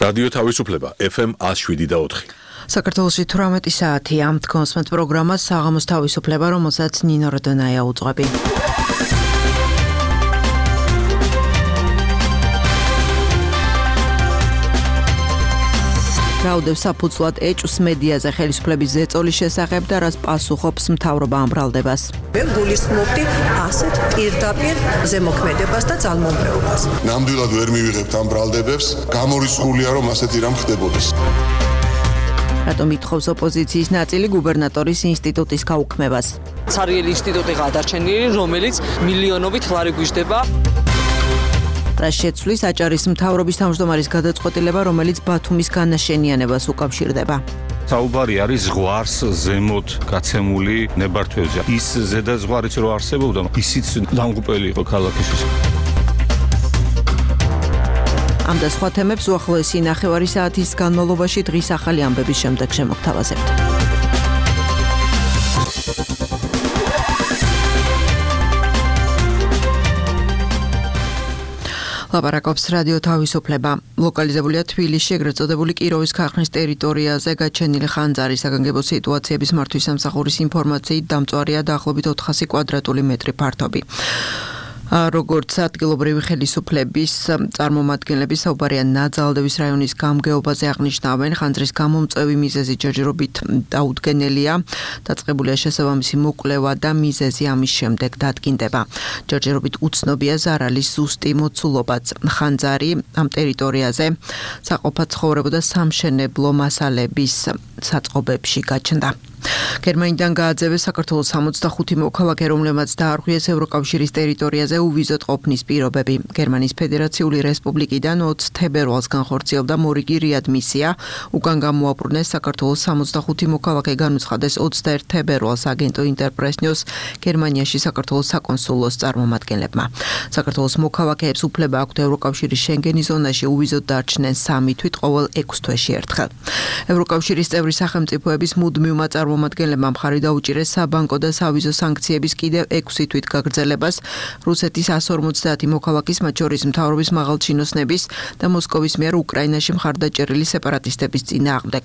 რადიო თავისუფლება FM 107.4. საქართველოში 18 საათია. თქვენს პროგრამას საღამოს თავისუფლება, რომელსაც ნინო როდონაია უძღვები. რაუდევს საფუძვლად ეჭვს მედიაზე ხელისუფლების ზეწოლის შესახებ და რას პასუხობს მთავრობა ამ ბრალდებას. მე გულისხმობდი ასეთ პირდაპირ ზემოქმედებას და ძალმომრეობას. ნამდვილად ვერ მივიღებთ ამ ბრალდებებს, გამორიცხულია რომ ასეთი რამ ხდებოდეს. რატომ ითხოვს ოპოზიციის ნაწილი გუბერნატორის ინსტიტუტის გაუქმებას? ცარიელი ინსტიტუტი გადარჩენილი, რომელიც მილიონობით ლარი გვიждდება. რას შეცვლის აჭარის მთავრობის თავმჯდომარის გადაწყვეტილება, რომელიც ბათუმის განაშენიანებას უკავშირდება. საუბარი არის ზღვარს ზემოთ გაცემული ნებართვებზე. ის ზედა ზღვარიც რო არსებობდა, ისიც დამღუპელი იყო ქალაქისთვის. ამ და სხვა თემებს უახლოესი ნახევარი საათის განმავლობაში დღის ახალი ამბების შემდეგ შემოგთავაზებთ. ლაპარაკობს რადიო თავისუფლება. ლოკალიზებულია თბილისში, ეგრეთ წოდებული კიროვის ქარხნის ტერიტორიაზე გაჩენილი ხანძარი საგანგებო სიტუაციების მართვის სამსახურის ინფორმაციით დამწვარია დაახლოებით 400 კვადრატული მეტრი ფართობი. როგორც ადგილობრივი ხელისუფლების წარმომადგენლები საუბარია ნაძალდევის რაიონის გამგეობაზე აღნიშნავენ, ხანძრის გამომწვევი მიზეზი ჯერჯერობით დაუდგენელია, დაწყებულია შესაბამისი მოკვლევა და მიზეზი ამის შემდეგ დადგინდება. ჯერჯერობით უცნობია ზარალის ზუსტი მოცულობაც. ხანძარი ამ ტერიტორიაზე საყოფად ცხოვრებოდა სამშენებლო მასალების საწყობებში გაჩნდა. გერმანიდან გააძევეს საქართველოს 65 მოქალაქე, რომლებმაც დაარღვიეს ევროკავშირის ტერიტორიაზე უვიზოთ ყოფნის პირობები. გერმანიის ფედერაციული რესპუბლიკიდან 20 თებერვალს განხორციელდა მორიგი რეადმისია. უკან გამოაბრუნეს საქართველოს 65 მოქალაქე, განუცხადეს 21 თებერვალს აგენტო ინტერპრესნიოს გერმანიაში საქართველოს საკონსულოს წარმომადგენლებმა. საქართველოს მოქალაქეებს უფლება აქვთ ევროკავშირის შენგენის ზონაში უვიზოთ დარჩნენ 3 თვით ყოველ 6 თვეში ერთხელ. ევროკავშირის წევრი სახელმწიფოების მუდმივმა წარმომადგენლებმა მხარი დაუჭირეს საბანკო და სავიზო სანქციების კიდევ 6 თვით გაგრძელებას რუსეთის 150 მოქალაქის, მათ შორის მთავრობის მაღალჩინოსნების და მოსკოვის მიერ უკრაინაში მხარდაჭერილი სეპარატისტების წინააღმდეგ.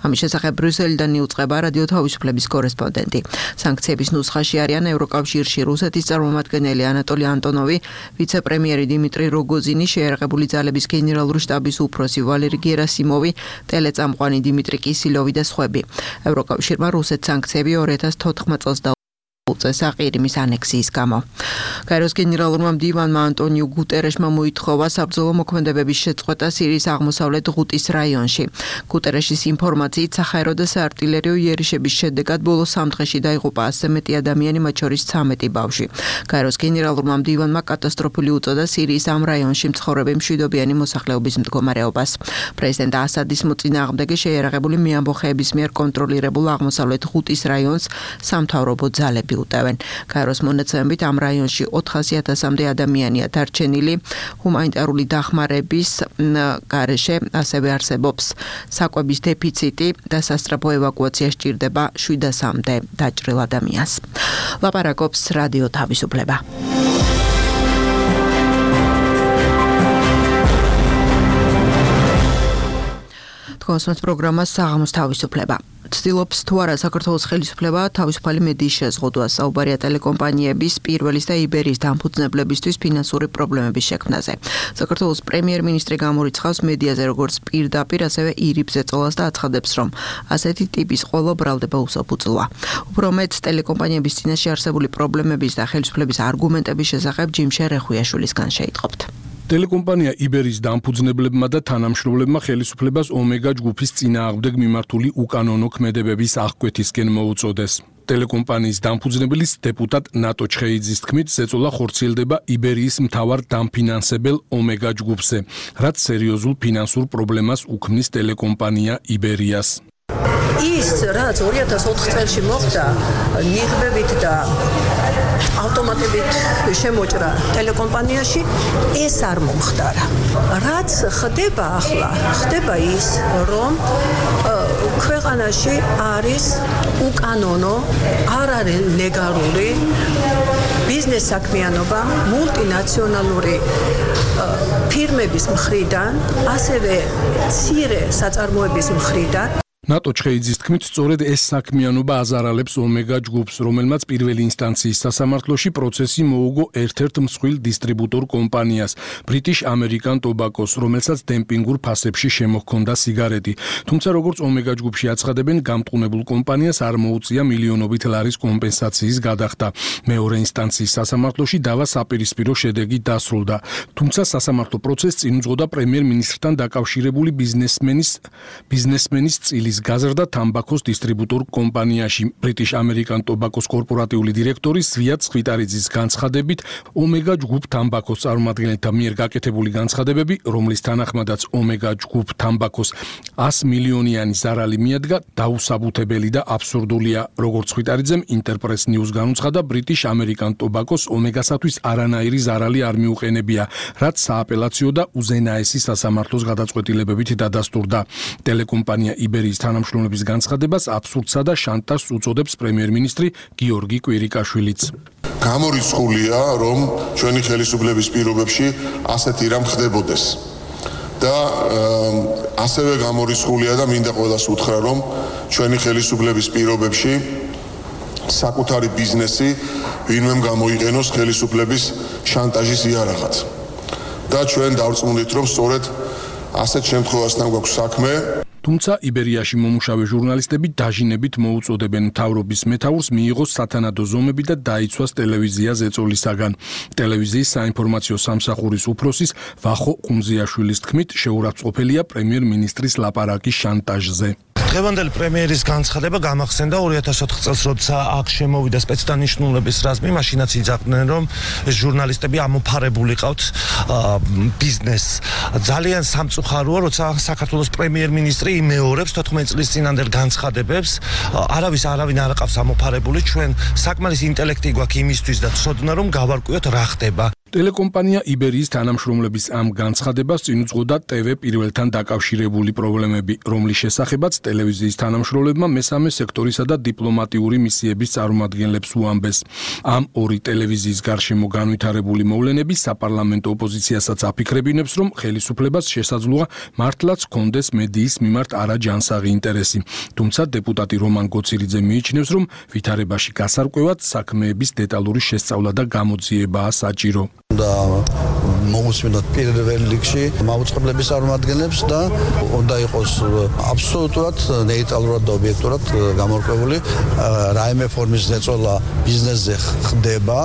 ამის შესახებ ბრიუსელიდან იუწყება რადიო თავისუფლების კორესპონდენტი. სანქციების ნუსხაში არიან ევროკავშირში რუსეთის წარმომადგენელი ანატოლი ანტონოვი, ვიცე-პრემიერი დიმიტრი როგოზინი, შეიარაღებული ძალების გენერალური შტაბის უფროსი ვალერი გერასიმოვი, ტელეწამყვანი დიმიტრი კისილოვი და სხვები. ევროკავშირმა რუსეთს სანქციები 2014 წელს უწეს აყირიმის ანექსიის გამო. გაეროს გენერალურმა მდივანმა ანტონიუ გუტერეშმა მოითხოვა საბრძოლო მოქმედებების შეწყვეტა სირიის აღმოსავლეთ ღუტის რაიონში. გუტერეშის ინფორმაციით საჰაერო და საარტილერიო იერიშების შედეგად ბოლო 3 დღეში დაიღუპა 100 მეტი ადამიანი, მათ შორის 13 ბავშვი. გაეროს გენერალურმა მდივანმა კატასტროფული უწოდა სირიის ამ რაიონში მცხოვრები მშვიდობიანი მოსახლეობის მდგომარეობას. პრეზიდენტ ასადის მოწინააღმდეგე შეიარაღებული მეამბოხეების მიერ კონტროლირებულ აღმოსავლეთ ღუტის რაიონს სამთავრობო ძალები უტევენ. გაეროს მონაცემებით ამ რაიონში 400,000-მდე ადამიანია დარჩენილი. ჰუმანიტარული დახმარების გარეშე ასევე არსებობს საკვების დეფიციტი და სასწრაფო ევაკუაცია სჭირდება 700-მდე დაჭრილ ადამიანს. ლაპარაკობს რადიო თავისუფლება. თქვენს პროგრამას საღამოს თავისუფლება. ცდილობს თუ არა საქართველოს ხელისუფლება თავისუფალი მედიის შეზღუდვას. საუბარია ტელეკომპანიების, პირველის და იბერიის დამფუძნებლებისთვის ფინანსური პრობლემების შექმნაზე. საქართველოს პრემიერ-მინისტრი გამორიცხავს მედიაზე როგორც პირდაპირ, ასევე ირიბ ზეწოლას და აცხადებს, რომ ასეთი ტიპის ყველა ბრალდება უსაფუძვლოა. უფრო მეტ ტელეკომპანიების წინაშე არსებული პრობლემების და ხელისუფლების არგუმენტების შესახებ ჯიმშე რეხუიაშვილისგან შეიტყობთ. ტელეკომპანია იბერის დამფუძნებლებმა და თანამშრომლებმა ხელისუფლებას ომეგა ჯგუფის წინააღმდეგ მიმართული უკანონო ქმედებების აღკვეთისკენ მოუწოდეს. ტელეკომპანიის დამფუძნებლის დეპუტატ ნატო ჩხეიძის თქმით, ზეწოლა ხორციელდება იბერიის მთავარ დამფინანსებელ ომეგა ჯგუფზე, რაც სერიოზულ ფინანსურ პრობლემას უქმნის ტელეკომპანია იბერიას. ის რაც 2004 წელს მოხდა ნიღბებით და ავტომატებით შემოჭრა ტელეკომპანიაში, ეს არ მომხდარა. რაც ხდება ახლა, ხდება ის, რომ ქვეყანაში არის უკანონო, არ არის ლეგალური ბიზნეს საქმიანობა მულტინაციონალური ფირმების მხრიდან, ასევე მცირე საწარმოების მხრიდან ნატო ჩხეიძის თქმით, სწორედ ეს საქმიანობა აზარალებს ომეგა ჯგუფს, რომელმაც პირველი ინსტანციის სასამართლოში პროცესი მოუგო ერთ-ერთ მსხვილ დისტრიბუტორ კომპანიას, British American Tobacco-ს, რომელსაც დემპინგურ ფასებში შემოჰქონდა სიგარეტი. თუმცა, როგორც ომეგა ჯგუფში აცხადებენ, გამტყუნებულ კომპანიას არ მოუწია მილიონობით ლარის კომპენსაციის გადახდა. მეორე ინსტანციის სასამართლოში დავა საპირისპირო შედეგი დასრულდა. თუმცა, სასამართლო პროცესს წინ უძღოდა პრემიერ-მინისტრთან დაკავშირებული ბიზნესმენის წილი გაზრდა თამბაქოს დისტრიბუტორ კომპანიაში. British American Tobacco-ს კორპორატიული დირექტორი ზვიად ხვიტარიძის განცხადებით, ომეგა ჯგუფ თამბაქოს წარმომადგენელთა მიერ გაკეთებული განცხადებები, რომლის თანახმადაც ომეგა ჯგუფ თამბაქოს 100 მილიონიანი ზარალი მიადგა, დაუსაბუთებელი და აბსურდულია. როგორც ხვიტარიძემ Interpress News განუცხადა, British American Tobacco-ს ომეგასათვის არანაირი ზარალი არ მიუყენებია, რაც სააპელაციო და უზენაესი სასამართლოს გადაწყვეტილებებით დადასტურდა. ტელეკომპანია იბერიის თანამშრომლების განცხადებას აბსურდსა და შანტაჟს უწოდებს პრემიერ-მინისტრი გიორგი კვირიკაშვილიც. გამორიცხულია, რომ ჩვენი ხელისუფლების პირობებში ასეთი რამ ხდებოდეს. და ასევე გამორიცხულია და მინდა ყველას უთხრა, რომ ჩვენი ხელისუფლების პირობებში საკუთარი ბიზნესი ვინმემ გამოიყენოს ხელისუფლების შანტაჟის იარაღად. და ჩვენ დავწმუნდით, რომ სწორედ ასეთ შემთხვევასთან გვაქვს საქმე. თუმცა იბერიაში მომუშავე ჟურნალისტები დაჟინებით მოუწოდებენ მთავრობის მეთაურს მიიღოს სათანადო ზომები და დაიცვას ტელევიზია ზეწოლისაგან. ტელევიზიის საინფორმაციო სამსახურის უფროსის ვახო ყუნზიაშვილის თქმით, შეურაცხყოფელია პრემიერ-მინისტრის ლაპარაკი შანტაჟზე. დღევანდელი პრემიერის განცხადება გამახსენდა 2004 წელს, როცა აქ შემოვიდა სპეცდანიშნულების რაზმი, მაშინაც იძახდნენ, რომ ეს ჟურნალისტები ამოფარებული ყავთ ბიზნესს. ძალიან სამწუხაროა, როცა საქართველოს პრემიერ-მინისტრი იმეორებს 14 წლის წინანდელ განცხადებებს, არავინ არ ყავს ამოფარებული, ჩვენ საკმარისი ინტელექტი გვაქვს იმისთვის და ცოდნა, რომ გავარკვიოთ რა ხდება. ტელეკომპანია იბერიის თანამშრომლების ამ განცხადებას წინ უძღოდა TV პირველთან დაკავშირებული პრობლემები, რომლის შესახებაც ტელევიზიის თანამშრომლებმა მესამე სექტორისა და დიპლომატიური მისიების წარმომადგენლებს უამბეს. ამ ორი ტელევიზიის გარშემო განვითარებული მოვლენები საპარლამენტო ოპოზიციასაც აფიქრებინებს, რომ ხელისუფლებას შესაძლოა მართლაც ჰქონდეს მედიის მიმართ არაჯანსაღი ინტერესი. თუმცა დეპუტატი რომან გოცირიძე მიიჩნევს, რომ ვითარებაში გასარკვევად საქმეების დეტალური შესწავლა და გამოძიებაა საჭირო. და მოусმინოთ პირველ რიგში მაუწყებლების წარმომადგენლებს და უნდა იყოს აბსოლუტურად ნეიტრალურად და ობიექტურად გამორკვეული რაიმე ფორმის ზეწოლა ბიზნესზე ხდება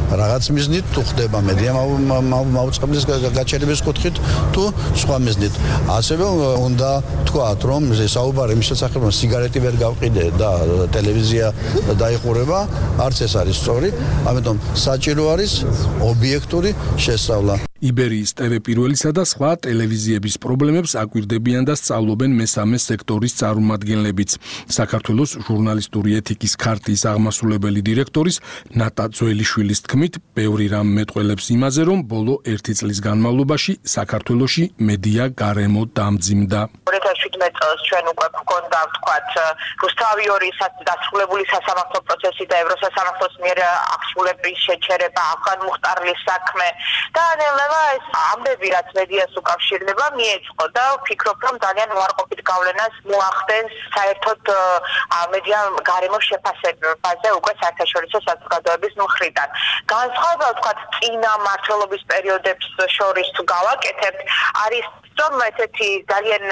რაღაც მიზნით თუ ხდება მედია მაუწყებლის გაჩერების კუთხით თუ სხვა მიზნით. ასევე უნდა თქვათ, რომ საუბარი მის შესახებ სიგარეტი ვერ გავყიდე და ტელევიზია დაიხურება, არც ეს არის სწორი, ამიტომ საჭირო არის ობიექტური შესწავლა. იბერიის TV პირველისა და სხვა ტელევიზიების პრობლემებს აკვირდებიან და სწავლობენ მესამე სექტორის წარმომადგენლებიც. საქართველოს ჟურნალისტური ეთიკის ქარტიის აღმასრულებელი დირექტორის ნატა ძველიშვილის თქმით, ბევრი რამ მეტყველებს იმაზე, რომ ბოლო 1 წლის განმავლობაში საქართველოში მედია გარემო დამძიმდა. 2017 წელს ჩვენ უკვე გვქონდა ვთქვათ რუსთავი 2 დასრულებული სასამართლო პროცესი და ევროსასამართლოს მიერ აღსრულების შეჩერება, ახალ მუხტარლის საქმე და ეს ამბები, რაც მედიას უკავშირდება, მიეწყო და ვფიქრობ, რომ ძალიან უარყოფით გავლენას მოახდენს საერთოდ მედია გარემოს შეფასებაზე უკვე საერთაშორისო საზოგადოების მხრიდან. განსხვავება ვთქვათ წინა მმართველობის პერიოდებს შორის თუ გავაკეთებთ, არის რომ ესეთი ძალიან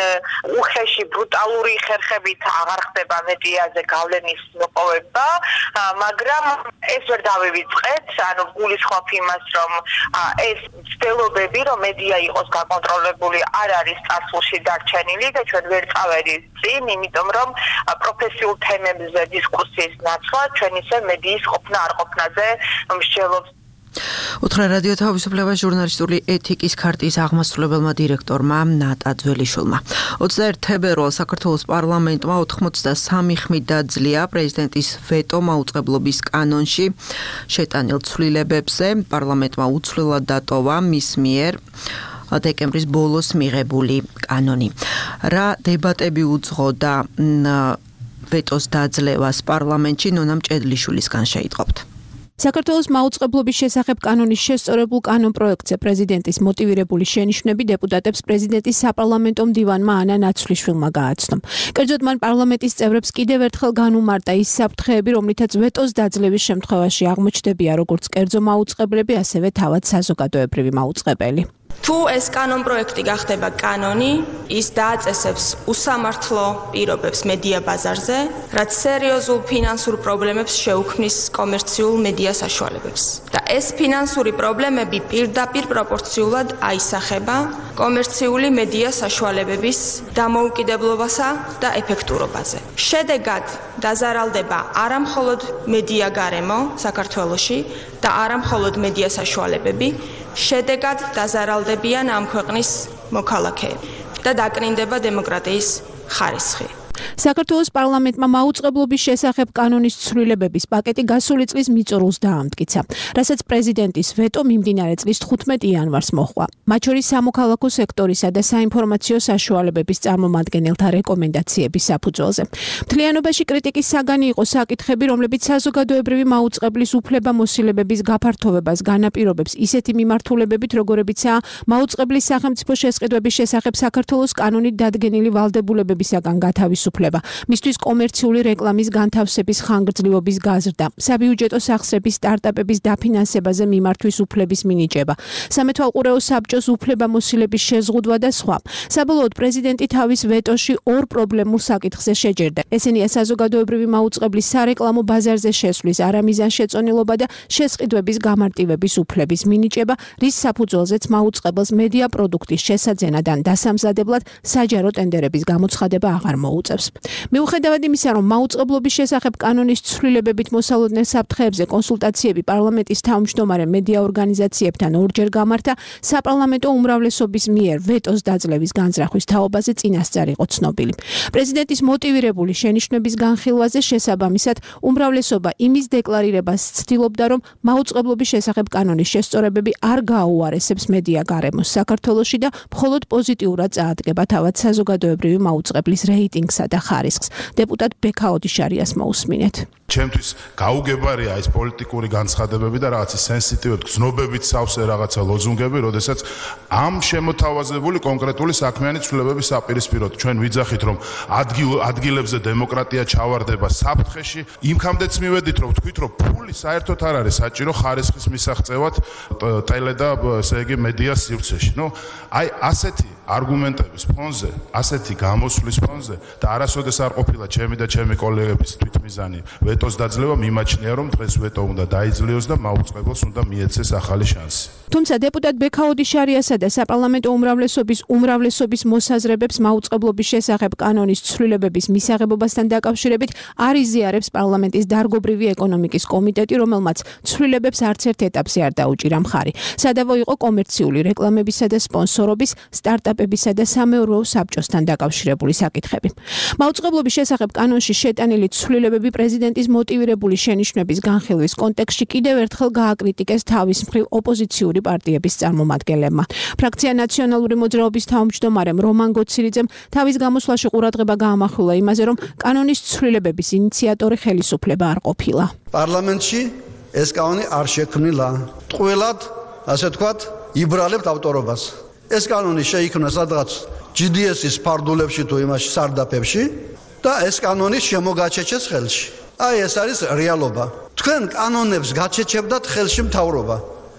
უხეში ბრუტალური ხერხებით აღარ ხდება მედიაზე გავლენის მოპოვება, მაგრამ ეს ვერ დავივიწყეთ, ანუ გულისხმობ იმას, რომ ეს ცდილობები, რომ მედია იყოს გაკონტროლებული, არ არის წარსულში დარჩენილი და ჩვენ ვერ წავედით წინ, იმიტომ რომ პროფესიულ თემებზე დისკუსიის ნაცვლა ჩვენ ისე მედიის ყოფნა არ ყოფნაზე მსჯელობს. უთხრა რადიო თავისუფლება ჟურნალისტური ეთიკის ქარტიის აღმასრულებელმა დირექტორმა ნატა ძველიშვილმა. 21 თებერვალს საქართველოს პარლამენტმა 83 ხმით დაძლია პრეზიდენტის ვეტო მაუწყებლობის კანონში შეტანილ ცვლილებებზე. პარლამენტმა უცვლელად დატოვა მის მიერ დეკემბრის ბოლოს მიღებული კანონი. რა დებატები უძღოდა ვეტოს დაძლევას პარლამენტში, ნონა მჭედლიშვილისგან შეიტყობთ. საქართველოს მაუწყებლობის შესახებ კანონის შესწორებულ კანონპროექტზე პრეზიდენტის მოტივირებული შენიშვნები დეპუტატებს პრეზიდენტის საპარლამენტო მდივანმა ანა ნაცვლიშვილმა გააცნო. კერძოდ მან პარლამენტის წევრებს კიდევ ერთხელ განუმარტა ის საფრთხეები, რომლითაც ვეტოს დაძლევის შემთხვევაში აღმოჩნდებიან როგორც კერძო მაუწყებლები, ასევე თავად საზოგადოებრივი მაუწყებელი. თუ ეს კანონპროექტი გახდება კანონი, ის დააწესებს უსამართლო პირობებს მედია ბაზარზე, რაც სერიოზულ ფინანსურ პრობლემებს შეუქმნის კომერციულ მედია საშუალებებს. და ეს ფინანსური პრობლემები პირდაპირ პროპორციულად აისახება კომერციული მედია საშუალებების დამოუკიდებლობასა და ეფექტურობაზე. შედეგად დაზარალდება არა მხოლოდ მედია გარემო საქართველოში და არა მხოლოდ მედია საშუალებები, შედეგად დაზარალდებიან ამ ქვეყნის მოქალაქეები და დაკნინდება დემოკრატიის ხარისხი. საქართველოს პარლამენტმა მაუწყებლობის შესახებ კანონის ცვლილებების პაკეტი გასული წლის მიწურულს დაამტკიცა, რასაც პრეზიდენტის ვეტო მიმდინარე წლის 15 იანვარს მოჰყვა. მათ შორის სამოქალაქო სექტორისა და საინფორმაციო საშუალებების წარმომადგენელთა რეკომენდაციების საფუძველზე. მთლიანობაში კრიტიკის საგანი იყო საკითხები, რომლებიც საზოგადოებრივი მაუწყებლის უფლებამოსილებების გაფართოვებას განაპირობებს ისეთი მიმართულებებით, როგორებიცაა მაუწყებლის სახელმწიფო შესყიდვების შესახებ საქართველოს კანონით დადგენილი ვალდებულებებისაგან გათავისუფლება, მისთვის კომერციული რეკლამის განთავსების ხანგრძლივობის გაზრდა, საბიუჯეტო სახსრების სტარტაპების დაფინანსებაზე მიმართვის უფლების მინიჭება, სამეთვალყურეო საბჭოს უფლებამოსილების შეზღუდვა და სხვა. საბოლოოდ პრეზიდენტი თავის ვეტოში ორ პრობლემურ საკითხზე შეჯერდა. ესენია საზოგადოებრივი მაუწყებლის სარეკლამო ბაზარზე შესვლის არამიზანშეწონილობა და შესყიდვების გამარტივების უფლების მინიჭება, რის საფუძველზეც მაუწყებელს მედია პროდუქტის შესაძენად ან დასამზადებლად საჯარო ტენდერების გამოცხადება აღარ მოუწევს. მიუხედავად იმისა, რომ მაუწყებლობის შესახებ კანონის ცვლილებებით მოსალოდნელ საფრთხეებზე კონსულტაციები პარლამენტის თავმჯდომარე მედია ორგანიზაციებთან ორჯერ გამართა, საპარლამენტო უმრავლესობის მიერ ვეტოს დაძლევის განზრახვის თაობაზე წინასწარ იყო ცნობილი. პრეზიდენტის მოტივირებული შენიშვნების განხილვაზე შესაბამისად უმრავლესობა იმის დეკლარირებას ცდილობდა, რომ მაუწყებლობის შესახებ კანონის შესწორებები არ გააუარესებს მედია გარემოს საქართველოში და მხოლოდ პოზიტიურად წაადგება თავად საზოგადოებრივი მაუწყებლის რეიტინგსა და ხარისხს. დეპუტატ ბექა ოდიშარიას მოусმინეთ. ჩემთვის გაუგებარია ეს პოლიტიკური განცხადებები და რაღაცა სენსიტივები, გზნობებით სავსე რაღაცა ლოზუნგები, როდესაც ამ შემოთავაზებული კონკრეტული საქმიანი ცვლილებების საპირისპიროდ ჩვენ ვიძახით, რომ ადგილებზე დემოკრატია ჩავარდება საფრთხეში, იმქამდეც მივედით, რომ ვთქვით, რომ ფული საერთოდ არ არის საჭირო ხარისხის მისაღწევად ტელე და ესე იგი მედიას სივრცეში. აი ასეთი არგუმენტების ფონზე, ასეთი გამოსვლის ფონზე და არასოდეს არ ყოფილა ჩემი და ჩემი კოლეგების თვითმიზანი ვეტოს დაძლევა, მიმაჩნია, რომ დღეს ვეტო უნდა დაიძლიოს და მაუწყებელს უნდა მიეცეს ახალი შანსი. თუმცა დეპუტატ ბექა ოდიშარიასა და საპარლამენტო უმრავლესობის მოსაზრებებს მაუწყებლობის შესახებ კანონის ცვლილებების მისაღებობასთან დაკავშირებით არ იზიარებს პარლამენტის დარგობრივი ეკონომიკის კომიტეტი, რომელმაც ცვლილებებს არც ერთ ეტაპზე არ დაუჭირა მხარი. სადავო იყო კომერციული რეკლამებისა და სპონსორობის, სტარტაპებისა და სამეურვეო საბჭოსთან დაკავშირებული საკითხები. მაუწყებლობის შესახებ კანონში შეტანილი ცვლილებები პრეზიდენტის მოტივირებული შენიშვნების განხილვის კონტექსტში კიდევ ერთხელ გააკრიტიკეს თავის მხრივ ოპოზიციური პარტიების წარმომადგენლებმა. ფრაქცია ნაციონალური მოძრაობის თავმჯდომარემ რომან გოცირიძემ თავის გამოსვლაში ყურადღება გაამახვილა იმაზე, რომ კანონის ცვლილებების ინიციატორი ხელისუფლება არ ყოფილა. პარლამენტში ეს კანონი არ შექმნილა. ტყუილად, ასე ვთქვათ, იბრალებთ ავტორობას. ეს კანონი შეიქმნა სადღაც GDS-ის ფარდულებში თუ იმაში სარდაფებში და ეს კანონი შემოგაჩეჩეს ხელში. აი ეს არის რეალობა. თქვენ კანონებს გაჩეჩებდათ ხელში მთავრობა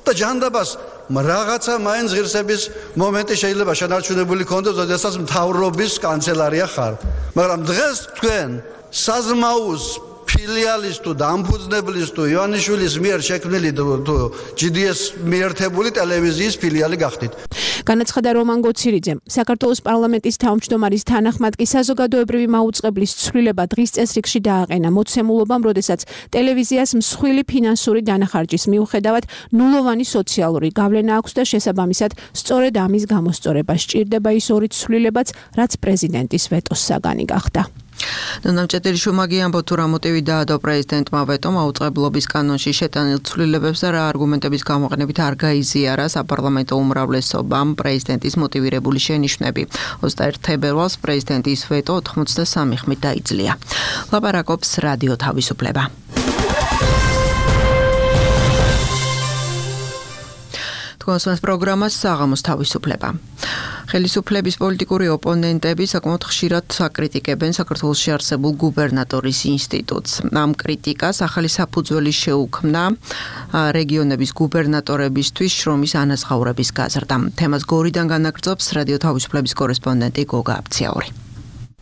და ჯანდაბას რაღაცა მაინც ღირსების მომენტი შეიძლება შენარჩუნებული ქონდეს, როდესაც მთავრობის კანცელარია ხარ. მაგრამ დღეს თქვენ საზმაუს ფილიალის თუ დამფუძნებლის თუ ივანიშვილის მიერ შექმნილი თუ GDS მიერთებული ტელევიზიის ფილიალი გახდით. განაცხადა რომან გოცირიძემ. საქართველოს პარლამენტის თავმჯდომარის თანახმად კი საზოგადოებრივი მაუწყებლის ცვლილება დღის წესრიგში დააყენა მოცემულობამ, როდესაც ტელევიზიას მსხვილი ფინანსური დანახარჯის მიუხედავად ნულოვანი სოციალური გავლენა აქვს და შესაბამისად სწორედ ამის გამოსწორება სჭირდება ის ორი ცვლილებაც, რაც პრეზიდენტის ვეტოს საგანი გახდა. ნამჭედელიშვილმა გიამბო თუ რა მოტივი დაადო პრეზიდენტმა ვეტომ მაუწყებლობის კანონში შეტანილ ცვლილებებს და რა არგუმენტების გამოყენებით არ გაიზიარა საპარლამენტო უმრავლესობამ პრეზიდენტის მოტივირებული შენიშვნები. 21 თებერვალს პრეზიდენტის ვეტო 83 ხმით დაიძლია. ლაპარაკობს რადიო თავისუფლება. თქვენს პროგრამას საღამოს თავისუფლება. ხელისუფლების პოლიტიკური ოპონენტები საკმაოდ ხშირად აკრიტიკებენ საქართველოში არსებულ გუბერნატორის ინსტიტუტს. ამ კრიტიკას ახალი საფუძველი შეუქმნა რეგიონების გუბერნატორებისთვის შრომის ანაზღაურების გაზრდა. თემას გორიდან განაგრძობს რადიო თავისუფლების კორესპონდენტი გოგა აფციაური.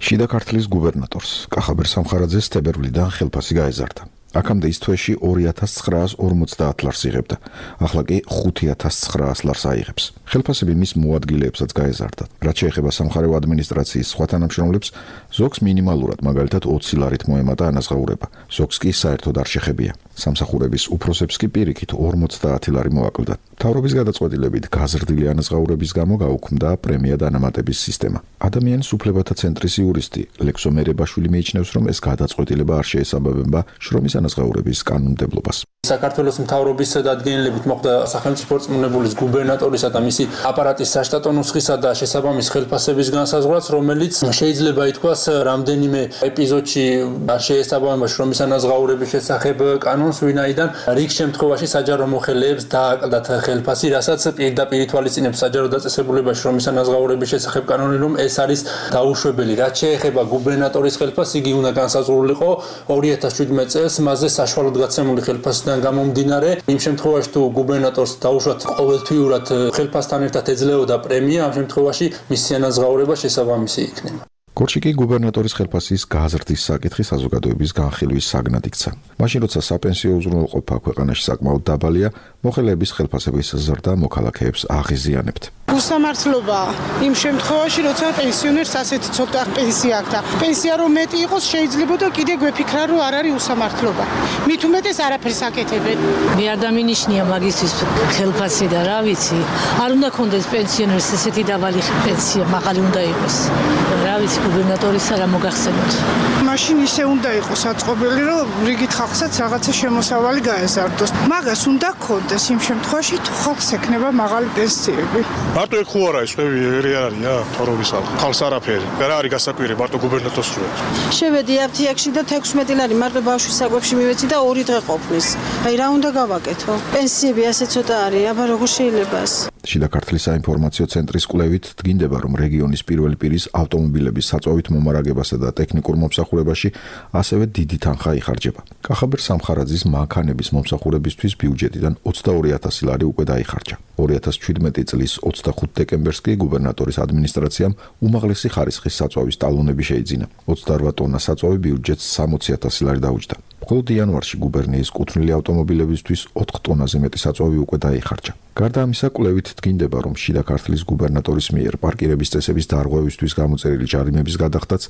შიდა ქართლის გუბერნატორს კახაბერ სამხარაძეს თებერვლიდან ხელფასი გაეზარდა. აქამდე ის თვეში 2950 ლარს იღებდა. ახლა კი 5900 ლარს აიღებს. ხელფასები მის მოადგილეებსაც გაეზარდა. რაც შეეხება სამხარეო ადმინისტრაციის სხვა თანამშრომლებს, ზოგს მინიმალურად, მაგალითად 20 ლარით მოემატა ანაზღაურება. ზოგს კი საერთოდ არ შეხებია. სამსახურების უფროსებს კი პირიქით 50 ლარი მოაკლდა. მთავრობის გადაწყვეტილებით გაზრდილი ანაზღაურების გამო გაუქმდა პრემია დანამატების სისტემა. ადამიანის უფლებათა ცენტრის იურისტი ლექსო მერებაშვილი მიიჩნევს, რომ ეს გადაწყვეტილება არ შეესაბამება შრომის ანაზღაურების კანონმდებლობას. საქართველოს მთავრობის დადგენილებით მოხდა სახელმწიფო რწმუნებულის გუბერნატორისა და მისი აპარატის საშტატო ნუსხისა და შესაბამის ხელფასების განსაზღვრაც, რომელიც შეიძლება ითქვას რამდენიმე ეპიზოდში არ შეესაბამება შრომის ანაზღაურების შესახებ კანონს, ვინაიდან რიგ შემთხვევაში საჯარო მოხელეებს დააკლდათ ხელფასი, რასაც პირდაპირ ითვალისწინებს საჯარო დაწესებულებაში შრომის ანაზღაურების შესახებ კანონი, რომ ეს არის დაუშვებელი. რაც შეეხება გუბერნატორის ხელფასს, იგი უნდა განსაზღვრულიყო 2017 წელს მასზე საშუალოდ გაცემული ხელფასიდან გამომდინარე. იმ შემთხვევაში თუ გუბერნატორს დაუშვათ ყოველთვიურად ხელფასთან ერთად ეძლეოდა პრემია, ამ შემთხვევაში მისი ანაზღაურება შესაბამისი იქნება. კორჩი კი გუბერნატორის ხელფასის გაზრდის საკითხი საზოგადოების განხილვის საგნად იქცა. მაშინ როცა საპენსიო უზრუნველყოფა ქვეყანაში საკმაოდ დაბალია, მოხელეების ხელფასების ზრდა მოქალაქეებს აღიზიანებთ. უსამართლობა იმ შემთხვევაში, როცა პენსიონერს ასეთი ცოტა პენსია აქვს და პენსია რომ მეტი იყოს, შეიძლება და კიდე გვეფიქრა, რომ არ არის უსამართლობა. მით უმეტეს არაფერს აკეთებენ. მე არ დამინიშნია მაგისტრის ხელფასი და რა ვიცი, არ უნდა კონდეს პენსიონერს ესეთი დაბალი პენსია, მაღალი უნდა იყოს. რა ვიცი, გუბერნატორის არა მოგახსენოთ. მაშინ ისე უნდა იყოს აწყობილი, რომ რიგით ხალხსაც რაღაცა შემოსავალი გაეზარდოს. მაგას უნდა კონდეს იმ შემთხვევაში, თუ ხალხს ექნება მაღალი პენსიები. მარტო ეგ ხო არა ის ხევი ერი არია თორობის ხალხს არაფერი. რა არის გასაკვირი მარტო გუბერნატორს რო. შევედი აფთიაქში და 16 ლარი მარტო ბავშვის საკვებში მივეცი და 2 დღე ყოფნის. აი რა უნდა გავაკეთო? პენსიები ასე ცოტა არის, აბა როგორ შეიძლება ეს? შიდა ქართლის საინფორმაციო ცენტრის კვლევით დგინდება, რომ რეგიონის პირველი პირის ავტომობილების საწვავით მომარაგებასა და ტექნიკურ მომსახურებაში ასევე დიდი თანხა იხარჯება. კახაბერ სამხარაძის მანქანების მომსახურებისთვის ბიუჯეტიდან 22000 ლარი უკვე დაიხარჯა. 2017 წლის 25 დეკემბერს კი გუბერნატორის ადმინისტრაციამ უმაღლესი ხარისხის საწვავის ტალონები შეიძინა. 28 ტონა საწვავი ბიუჯეტს 60000 ლარი დაუჯდა. მხოლოდ იანვარში გუბერნიის კუთვნილი ავტომობილებისთვის 4 ტონაზე მეტი საწვავი უკვე დაიხარჯა. გარდა ამისა, კვლევით დგინდება, რომ შიდა ქართლის გუბერნატორის მიერ პარკირების წესების დარღვევისთვის გამოწერილი ჯარიმების გადახდაც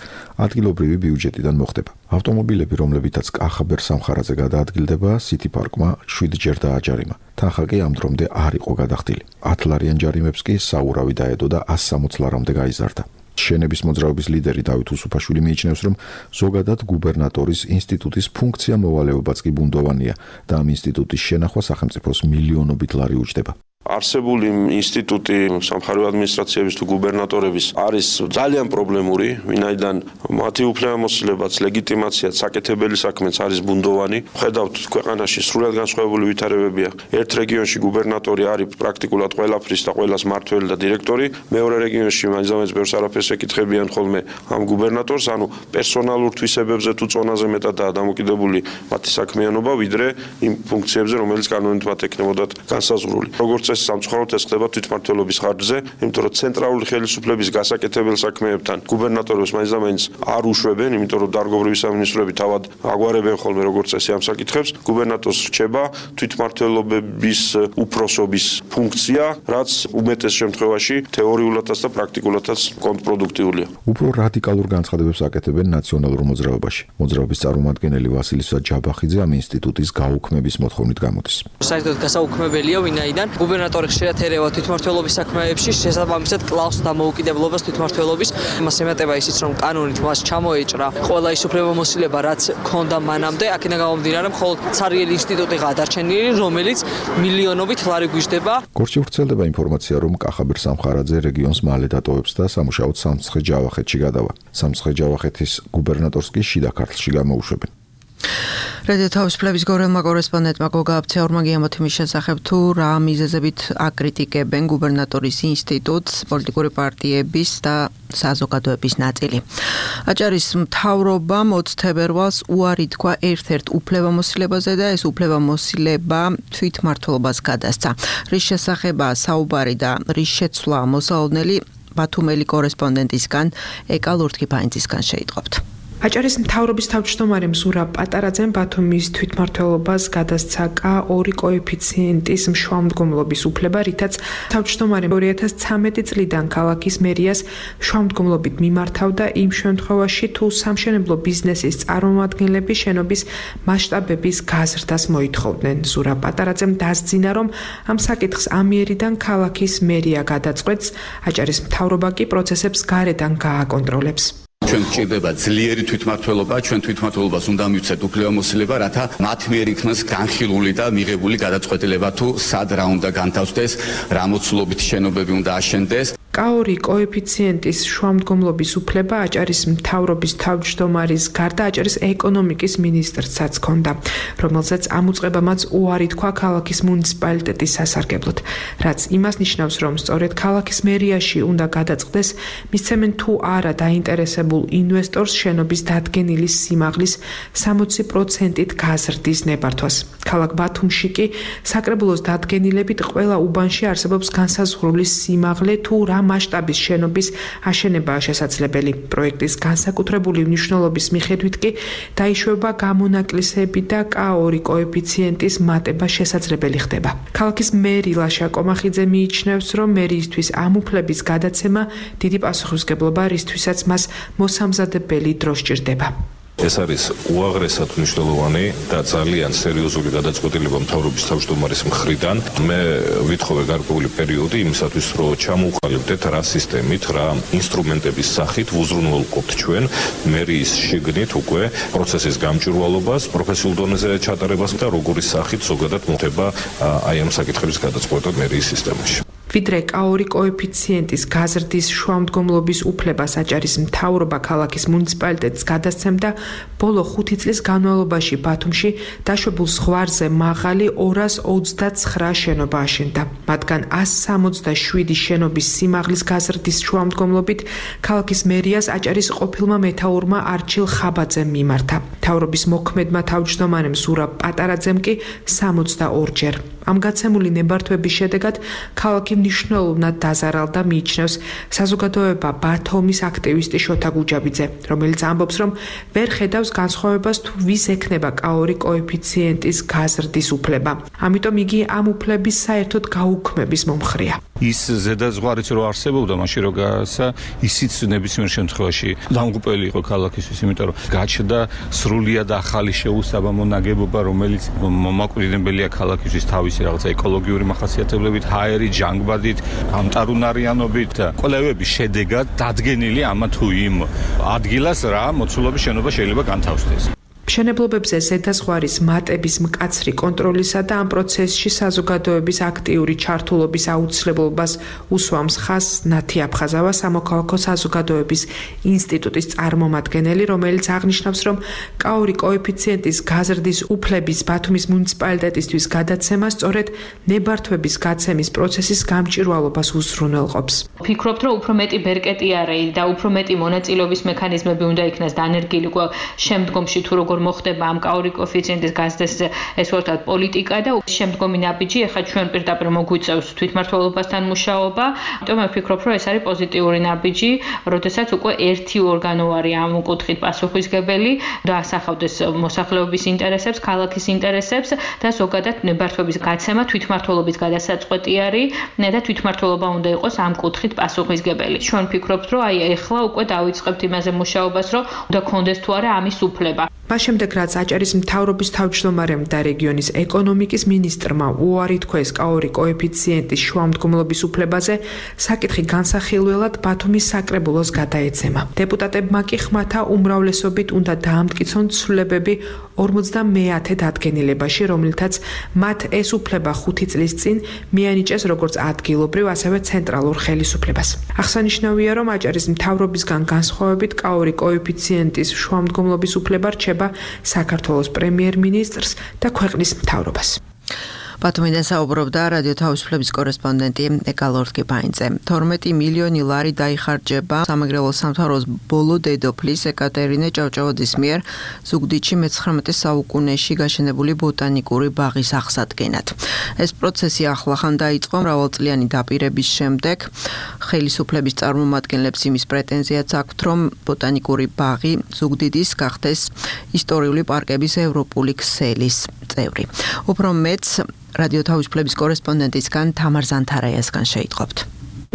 ადგილობრივი ბიუჯეტიდან მოხდება. ავტომობილები, რომლებითაც კახაბერ სამხარაძე გადაადგილდება, სიტი პარკმა 7 ჯერ დააჯარიმა. თანხა კი ამ დრომდე არ იყო გადახდილი. 10 ლარიან ჯარიმებს კი საურავი დაედო და 160 ლარამდე გაიზარდა. შენების მოძრაობის ლიდერი დავით უსუფაშვილი მიიჩნევს, რომ ზოგადად გუბერნატორის ინსტიტუტის ფუნქცია მოვალეობაც კი ბუნდოვანია და ამ ინსტიტუტის შენახვა სახელმწიფოს მილიონობით ლარი უჯდება. არსებული ინსტიტუტი სამხარეო ადმინისტრაციების თუ გუბერნატორების არის ძალიან პრობლემური, ვინაიდან მათი უფლებამოსილებაც, ლეგიტიმაციაც, საკეთებელი საქმეც არის ბუნდოვანი. ხედავთ, ქვეყანაში სრულად განსხვავებული ვითარებებია. ერთ რეგიონში გუბერნატორი არის პრაქტიკულად ყველაფრის და ყველას მმართველი და დირექტორი, მეორე რეგიონში მაინც ბევრს არაფერს ეკითხებიან ხოლმე ამ გუბერნატორს, ანუ პერსონალურ თვისებებზე თუ წონაზე მეტადაა დამოკიდებული მათი საქმიანობა, ვიდრე იმ ფუნქციებზე, რომელიც კანონით მათ ექნებოდათ განსაზღვრული. როგორც სამწუხაროდ ეს ხდება თვითმმართველობის ხარჯზე, იმიტომ რომ ცენტრალური ხელისუფლების გასაკეთებელ საქმეებთან გუბერნატორებს მაინც არ უშვებენ, იმიტომ რომ დარგობრივი სამინისტროები თავად აგვარებენ ხოლმე როგორც წესი ამ საკითხებს. გუბერნატორს რჩება თვითმმართველობის უფროსობის ფუნქცია, რაც უმეტეს შემთხვევაში თეორიულადაც და პრაქტიკულადაც კონტრპროდუქტიულია. უფრო რადიკალურ განცხადებებს აკეთებენ ნაციონალურ მოძრაობაში. მოძრაობის წარმომადგენელი ვასილისა ჯაბახიძე ამ ინსტიტუტის გაუქმების მოთხოვნით გამოდის. საერთოდ გასაუქმებელია, ვინაიდან გუბერნატორი ხშირად ერევა თვითმმართველობის საქმეებში, შესაბამისად კლავს დამოუკიდებლობას თვითმმართველობის. მას ემატება ისიც, რომ კანონით მას ჩამოეჭრა ყველა ის უფლებამოსილება, რაც ჰქონდა მანამდე, აქედან გამომდინარე, მხოლოდ ცარიელი ინსტიტუტი გადარჩენილი, რომელიც მილიონობით ლარი გვიждდება. კორჩი ვრცელდება ინფორმაცია, რომ კახაბერ სამხარაძე რეგიონს მალე დატოვებს და სამუშაოდ სამცხე-ჯავახეთში გადავა. სამცხე-ჯავახეთის გუბერნატორს კი შიდა ქართლში გამოუშვებენ. რადიო თავისუფლების გორელმა კორესპონდენტმა გოგა აბცეორმა გიამოთიმის შესახებ თუ რა მიზეზებით აკრიტიკებენ გუბერნატორის ინსტიტუტს პოლიტიკური პარტიების და საზოგადოების ნაწილი. აჭარის მთავრობამ 20 თებერვალს უარი თქვა ერთ-ერთ უფლებამოსილებაზე და ეს უფლებამოსილება თვითმმართველობას გადასცა. რის შესახებაა საუბარი და რის შეცვლა მოსალოდნელი ბათუმელი კორესპონდენტისგან ეკა ლურთქიფანიძისგან შეიტყობთ. აჭარის მთავრობის თავმჯდომარე ზურაბ პატარაძემ ბათუმის თვითმმართველობას გადასცა K2 კოეფიციენტის მშვალმდგომლობის უფლება, რითაც თავმჯდომარე 2013 წლიდან ქალაქის მერიას მშვალმდგომლობით მიმართავდა იმ შემთხვევაში, თუ სამშენებლო ბიზნესის წარმომადგენლები შენობის მასშტაბების გაზრდას მოითხოვდნენ. ზურაბ პატარაძემ დასძინა, რომ ამ საკითხს ამიერიდან ქალაქის მერია გადაწყვეტს, აჭარის მთავრობა კი პროცესებს გარედან გააკონტროლებს. ჩვენ გვჭირდება ძლიერი თვითმმართველობა, ჩვენ თვითმმართველობას უნდა მივცეთ უფლებამოსილება, რათა მათ მიერ იქნას განხილული და მიღებული გადაწყვეტილება თუ სად რა უნდა განთავსდეს, რა მოცულობით შენობები უნდა აშენდეს. K2 კოეფიციენტის შუამდგომლობის უფლება აჭარის მთავრობის თავმჯდომარის გარდა აჭარის ეკონომიკის მინისტრსაც ჰქონდა, რომელზეც ამ უწყებამაც უარი თქვა ქალაქის მუნიციპალიტეტის სასარგებლოდ, რაც იმას ნიშნავს, რომ სწორედ ქალაქის მერიაში უნდა გადაწყდეს მისცემენ თუ არა დაინტერესებულ ინვესტორს შენობის დადგენილი სიმაღლის 60%-ით გაზრდის ნებართვას. ქალაქ ბათუმში კი საკრებულოს დადგენილებით ყველა უბანში არსებობს განსაზღვრული სიმაღლე თუ რა მასშტაბის შენობის აშენებაა შესაძლებელი. პროექტის განსაკუთრებული მნიშვნელობის მიხედვით კი დაიშვება გამონაკლისები და K2 კოეფიციენტის მატება შესაძლებელი ხდება. ქალაქის მერი ლაშა კომახიძე მიიჩნევს, რომ მერიისთვის ამ უფლების გადაცემა დიდი პასუხისმგებლობა, რისთვისაც მას მოსამზადებელი დრო სჭირდება. ეს არის უაღრესად მნიშვნელოვანი და ძალიან სერიოზული გადაწყვეტილება მთავრობის თავმჯდომარის მხრიდან. მე ვითხოვე გარკვეული პერიოდი იმისათვის, რომ ჩამოვყალიბდეთ რა სისტემით, რა ინსტრუმენტების სახით ვუზრუნველყოფთ ჩვენ მერიის შიგნით უკვე პროცესის გამჭვირვალობას, პროფესიულ დონეზე ჩატარებას და როგორი სახით ზოგადად მოხდება აი ამ საკითხების გადაწყვეტა მერიის სისტემაში. ვიდრე K2 კოეფიციენტის გაზრდის შუამდგომლობის უფლებას აჭარის მთავრობა ქალაქის მუნიციპალიტეტს გადასცემდა, ბოლო 5 წლის განმავლობაში ბათუმში დაშვებულ ზღვარზე მაღალი 229 შენობა აშენდა. მათგან 167 შენობის სიმაღლის გაზრდის შუამდგომლობით ქალაქის მერიას აჭარის ყოფილმა მეთაურმა არჩილ ხაბაძემ მიმართა. მთავრობის მოქმედმა თავმჯდომარემ ზურაბ პატარაძემ კი 62 ჯერ. ამ გაცემული ნებართვების შედეგად ქალაქი მნიშვნელოვნად დაზარალდა, მიიჩნევს საზოგადოება ბათუმის აქტივისტი შოთა გუჯაბიძე, რომელიც ამბობს, რომ ვერ ხედავს განსხვავებას თუ ვის ექნება K2 კოეფიციენტის გაზრდის უფლება. ამიტომ იგი ამ უფლების საერთოდ გაუქმების მომხრეა. ის ზედაზღვარიც რო არსებობდა მაშინ რო გაასა, ისიც ნებისმიერ შემთხვევაში დამღუპელი იყო ქალაქისთვის, იმიტომ რომ გაჩნდა სრულიად ახალი შეუსაბამო ნაგებობა, რომელიც მომაკვდინებელია ქალაქისთვის თავისი რაღაცა ეკოლოგიური მახასიათებლებით, ჰაერით, ჟანგბადით, გამტარუნარიანობით და კვლევების შედეგად დადგენილი ამა თუ იმ ადგილას რა მოცულობის შენობა შეიძლება განთავსდეს. მშენებლობებზე ზედაზღვარის მატების მკაცრი კონტროლისა და ამ პროცესში საზოგადოების აქტიური ჩართულობის აუცილებლობას უსვამს ხაზს ნათი აფხაზავა, სამოქალაქო საზოგადოების ინსტიტუტის წარმომადგენელი, რომელიც აღნიშნავს, რომ K2 კოეფიციენტის გაზრდის უფლების ბათუმის მუნიციპალიტეტისთვის გადაცემა სწორედ ნებართვების გაცემის პროცესის გამჭვირვალობას უზრუნველყოფს. ვფიქრობთ, რომ უფრო მეტი ბერკეტიარე და უფრო მეტი მონაწილეობის მექანიზმები უნდა იქნას დანერგილი შემდგომში თუ როგორ მოხდება ამ K2 კოეფიციენტის გაზრდის ეს ვთქვათ პოლიტიკა და შემდგომი ნაბიჯი ახლა ჩვენ პირდაპირ მოგვიწევს თვითმმართველობასთან მუშაობა. ამიტომ მე ვფიქრობ, რომ ეს არის პოზიტიური ნაბიჯი, როდესაც უკვე ერთი ორგანო არის ამ კუთხით პასუხისმგებელი და ასახავდეს მოსახლეობის ინტერესებს, ქალაქის ინტერესებს და ზოგადად ნებართვების გაცემა თვითმმართველობის გადასაწყვეტი არის და თვითმმართველობა უნდა იყოს ამ კუთხით პასუხისმგებელი. ჩვენ ვფიქრობთ, რომ აი ახლა უკვე დავიწყებთ იმაზე მუშაობას, რომ უნდა კონდეს თუ არა ამის უფლება. მას შემდეგ რაც აჭარის მთავრობის თავმჯდომარემ და რეგიონის ეკონომიკის მინისტრმა უარი თქვეს K2 კოეფიციენტის შუამდგომლობის უფლებაზე, საკითხი განსახილველად ბათუმის საკრებულოს გადაეცემა. დეპუტატებმა კი ხმათა უმრავლესობით უნდა დაამტკიცონ ცვლილებები 50 დადგენილებაში, რომლითაც მათ ეს უფლება 5 წლის წინ მიანიჭეს როგორც ადგილობრივ, ასევე ცენტრალურ ხელისუფლებას. აღსანიშნავია, რომ აჭარის მთავრობისგან განსხვავებით K2 კოეფიციენტის შუამდგომლობის უფლება რჩება ეხება საქართველოს პრემიერ-მინისტრს და ქვეყნის მთავრობას. ბათუმიდან საუბრობდა რადიო თავისუფლების კორესპონდენტი ეკალორთკი ბაინძე. 12 მილიონი ლარი დაიხარჯება სამეგრელოს სამთავროს ბოლო დედოფლის ეკატერინე ჭავჭავაძის მიერ ზუგდიდში მე-19 საუკუნეში გაშენებული ბოტანიკური ბაღის აღსადგენად. ეს პროცესი ახლახან დაიწყო მრავალწლიანი დაპირების შემდეგ. ხელისუფლების წარმომადგენლებს იმის პრეტენზიაც აქვთ, რომ ბოტანიკური ბაღი ზუგდიდის გახდეს ისტორიული პარკების ევროპული ქსელის წევრი. უფრო მეც რადიო თავისუფლების კორესპონდენტისგან თამარ ზანთარაიასგან შეიტყობთ.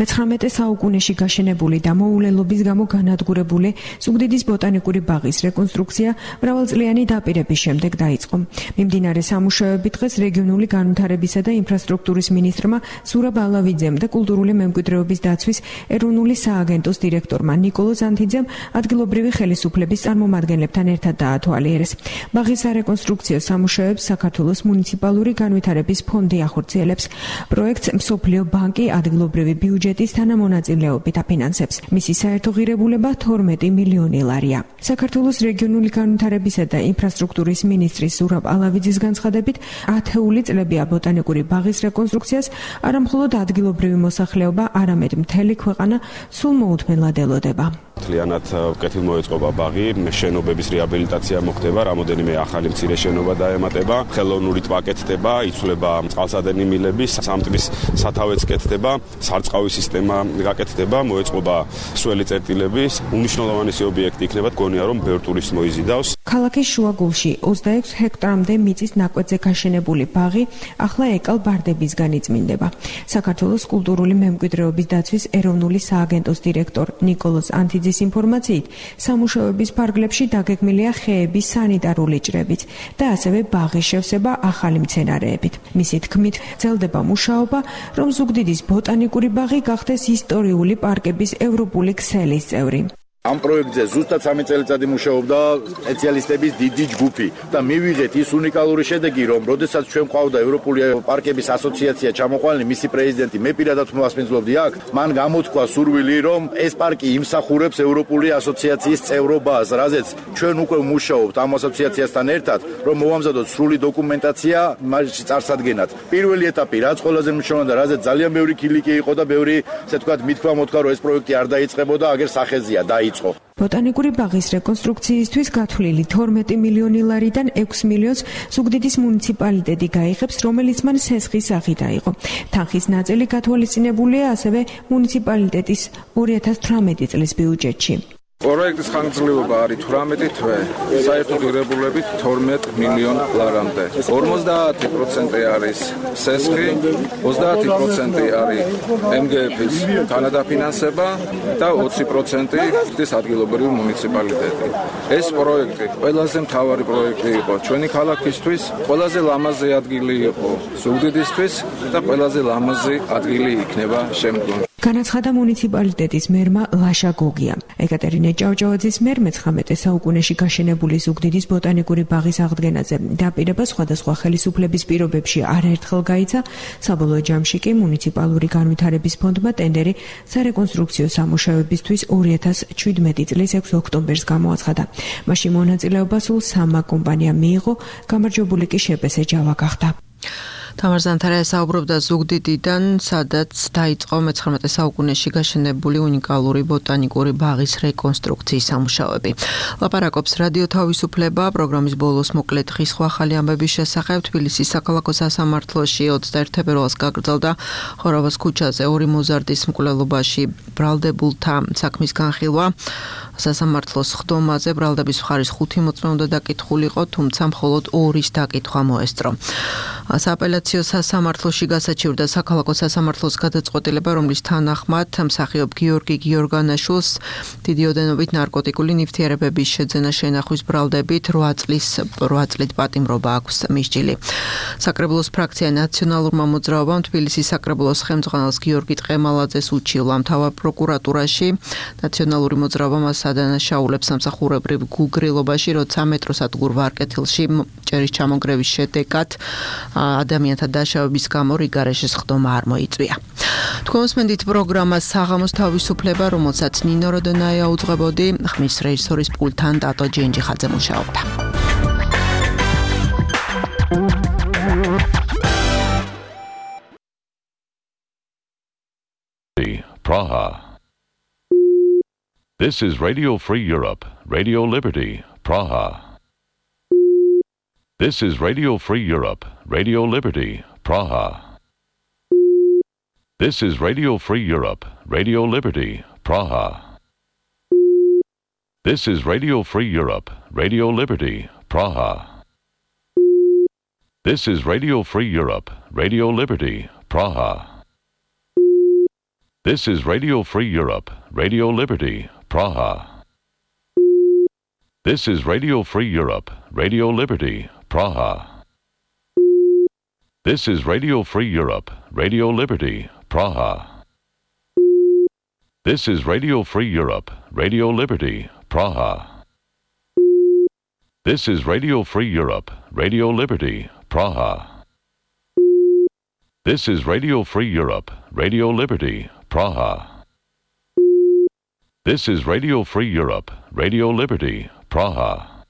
მე-19 საუკუნეში გაშენებული და მოულელობის გამო განადგურებული ზუგდიდის ბოტანიკური ბაღის რეკონსტრუქცია მრავალწლიანი დაპირების შემდეგ დაიწყო. მიმდინარე სამუშაოები დღეს რეგიონული განვითარებისა და ინფრასტრუქტურის მინისტრმა ზურაბ ალავიძემ და კულტურული მემკვიდრეობის დაცვის ეროვნული სააგენტოს დირექტორმა ნიკოლო ზანთიძემ ადგილობრივი ხელისუფლების წარმომადგენლებთან ერთად დაათვალიერეს. ბაღის სარეკონსტრუქციო სამუშაოებს საქართველოს მუნიციპალური განვითარების ფონდი ახორციელებს. პროექტს მსოფლიო ბანკი ადგილობრივი ბიუჯეტის თანამონაწილეობით აფინანსებს. მისი საერთო ღირებულება 12 მილიონი ლარია. საქართველოს რეგიონული განვითარებისა და ინფრასტრუქტურის მინისტრის ზურაბ ალავიძის განცხადებით, ათეული წლებია ბოტანიკური ბაღის რეკონსტრუქციას არა მხოლოდ ადგილობრივი მოსახლეობა, არამედ მთელი ქვეყანა სულ მოუთმენლად ელოდება. მთლიანად კეთილმოეწყობა ბაღი, შენობების რეაბილიტაცია მოხდება, რამოდენიმე ახალი მცირე შენობა დაემატება, ხელოვნური ტბა კეთდება, იცვლება წყალსადენი მილები, სამტბის სათავეც კეთდება, სარწყავი სისტემა გაკეთდება, მოეწყობა სველი წერტილები, უმნიშვნელოვანესი ობიექტი იქნება, გონია რომ ბევრ ტურისტს მოიზიდავს. ქალაქის შუაგულში 26 ჰექტარამდე მიწის ნაკვეთზე გაშენებული ბაღი ახლა ეკალ ბარდებისგან იწმინდება. საქართველოს კულტურული მემკვიდრეობის დაცვის ეროვნული სააგენტოს დირექტორ ნიკოლოზ ანთიძის ინფორმაციით, სამუშაოების ფარგლებში დაგეგმილია ხეების სანიტარული ჭრებით და ასევე ბაღის შევსება ახალი მცენარეებით. მისი თქმით, გრძელდება მუშაობა, რომ ზუგდიდის ბოტანიკური ბაღი გახდეს ისტორიული პარკების ევროპული ქსელის წევრი. Am proiectზე ზუსტად 3 წელიწადი მუშაობდა სპეციალისტების დიდი ჯგუფი და მივიღეთ ის უნიკალური შედეგი, რომ როდესაც ჩვენ ყავდა ევროპული პარკების ასოციაცია ჩამოყვანილი, მისი პრეზიდენტი, მე პირადად მოსმენძლობდი აქ, მან გამოთქვა სურვილი, რომ ეს პარკი იმსახურებს ევროპული ასოციაციის წევრობას, რაზეც ჩვენ უკვე ვმუშაობთ ამ ასოციაციასთან ერთად, რომ მოვამზადოთ სრული დოკუმენტაცია მასში წარსადგენად. პირველი ეტაპი, რაც ყველაზე მნიშვნელოვანი და რაზეც ძალიან ბევრი კილიკი იყო და ბევრი, ასე ვთქვათ, მithქვა მოთქვა, რომ ეს პროექტი არ დაიწყებოდა, აგერ სახეზია და ბოტანიკური ბაღის რეკონსტრუქციისთვის გათვლილი 12 მილიონი ლარიდან 6 მილიონს ზუგდიდის მუნიციპალიტეტი გაიღებს, რომელიც მან სესხის სახით აიღო. თანხის ნაწილი გათვალისწინებულია ასევე მუნიციპალიტეტის 2018 წლის ბიუჯეტში. პროექტის ხანგრძლივობა არის 18 თვე, საერთო ღირებულებით 12 მილიონ ლარამდე. 50% არის სესხი, 30% არის MGF-ის თანადაფინანსება და 20% ის ადგილობრივი მუნიციპალიტეტი. ეს პროექტი ყველაზე მთავარი პროექტი იყო ჩვენი ქალაქისთვის, ყველაზე ლამაზი ადგილი იყო ზუგდიდისთვის და ყველაზე ლამაზი ადგილი იქნება შემდგომში. განაცხადა მუნიციპალიტეტის მერმა ლაშა გოგია. ეკატერინე ჭავჭავაძის მიერ მე-19 საუკუნეში გაშენებული ზუგდიდის ბოტანიკური ბაღის აღდგენაზე დაპირება სხვადასხვა ხელისუფლების პირობებში არაერთხელ გაიცა, საბოლოო ჯამში კი მუნიციპალური განვითარების ფონდმა ტენდერი სარეკონსტრუქციო სამუშაოებისთვის 2017 წლის 6 ოქტომბერს გამოაცხადა. მაშინ მონაწილეობა სულ 3 კომპანიამ მიიღო, გამარჯვებული კი შპს ჯავა გახდა. თამარ ზანთარაია საუბრობდა ზუგდიდიდან, სადაც დაიწყო მე-19 საუკუნეში გაშენებული უნიკალური ბოტანიკური ბაღის რეკონსტრუქციის სამუშაოები. ლაპარაკობს რადიო თავისუფლება, პროგრამის ბოლოს მოკლედ ხის სხვა ახალი ამბების შესახებ. თბილისის საქალაქო სასამართლოში 21 თებერვალს გაგრძელდა ხორავას ქუჩაზე 2 მოზარდის მკვლელობაში ბრალდებულთა საქმის განხილვა. სასამართლოს ხდომაზე ბრალდების მხარის 5 მოწმე უნდა დაკითხულიყო, თუმცა მხოლოდ 2-ის დაკითხვა მოესწრო. სააპელაციო სასამართლოში გასაჩივრდა საქალაქო სასამართლოს გადაწყვეტილება, რომლის თანახმად მსახიობ გიორგი გიორგანაშვილს დიდი ოდენობით ნარკოტიკული ნივთიერებების შეძენა შენახვის ბრალდებით 8 წლით პატიმრობა აქვს მისჯილი. საკრებულოს ფრაქცია ნაციონალურმა მოძრაობამ თბილისის საკრებულოს ხელმძღვანელს გიორგი ტყემალაძეს უჩივლა მთავარ პროკურატურაში. ნაციონალური მოძრაობა მას ადანაშაულებს სამსახურებრივ გულგრილობაში, როცა მეტროსადგურ ვარკეთილში ჭერის ჩამონგრევის შედეგად ადამიანთა დაშავების გამო რიგარეშის ხდომა არ მოიწვია. თქვენ მოსმენთ პროგრამას საღამოს თავისუფლება, რომელსაც ნინო როდონაია უძღვებოდი, ხმის რეჟისორის პულტთან ტატო ჯენჯიხაძე მუშაობდა. Praha. This is Radio Free Europe, Radio Liberty, Praha. This is Radio Free Europe, Radio Liberty, Praha. This is Radio Free Europe, Radio Liberty, Praha. This is Radio Free Europe, Radio Liberty, Praha. This is Radio Free Europe, Radio Liberty, Praha. This is Radio Free Europe, Radio Liberty, Praha. This is Radio Free Europe, Radio Liberty, Praha. This is Radio Free Europe, Radio Liberty, Praha. This is Radio Free Europe, Radio Liberty, Praha. This is Radio Free Europe, Radio Liberty, Praha. This is Radio Free Europe, Radio Liberty, Praha. This is Radio Free Europe, Radio Liberty, Praha.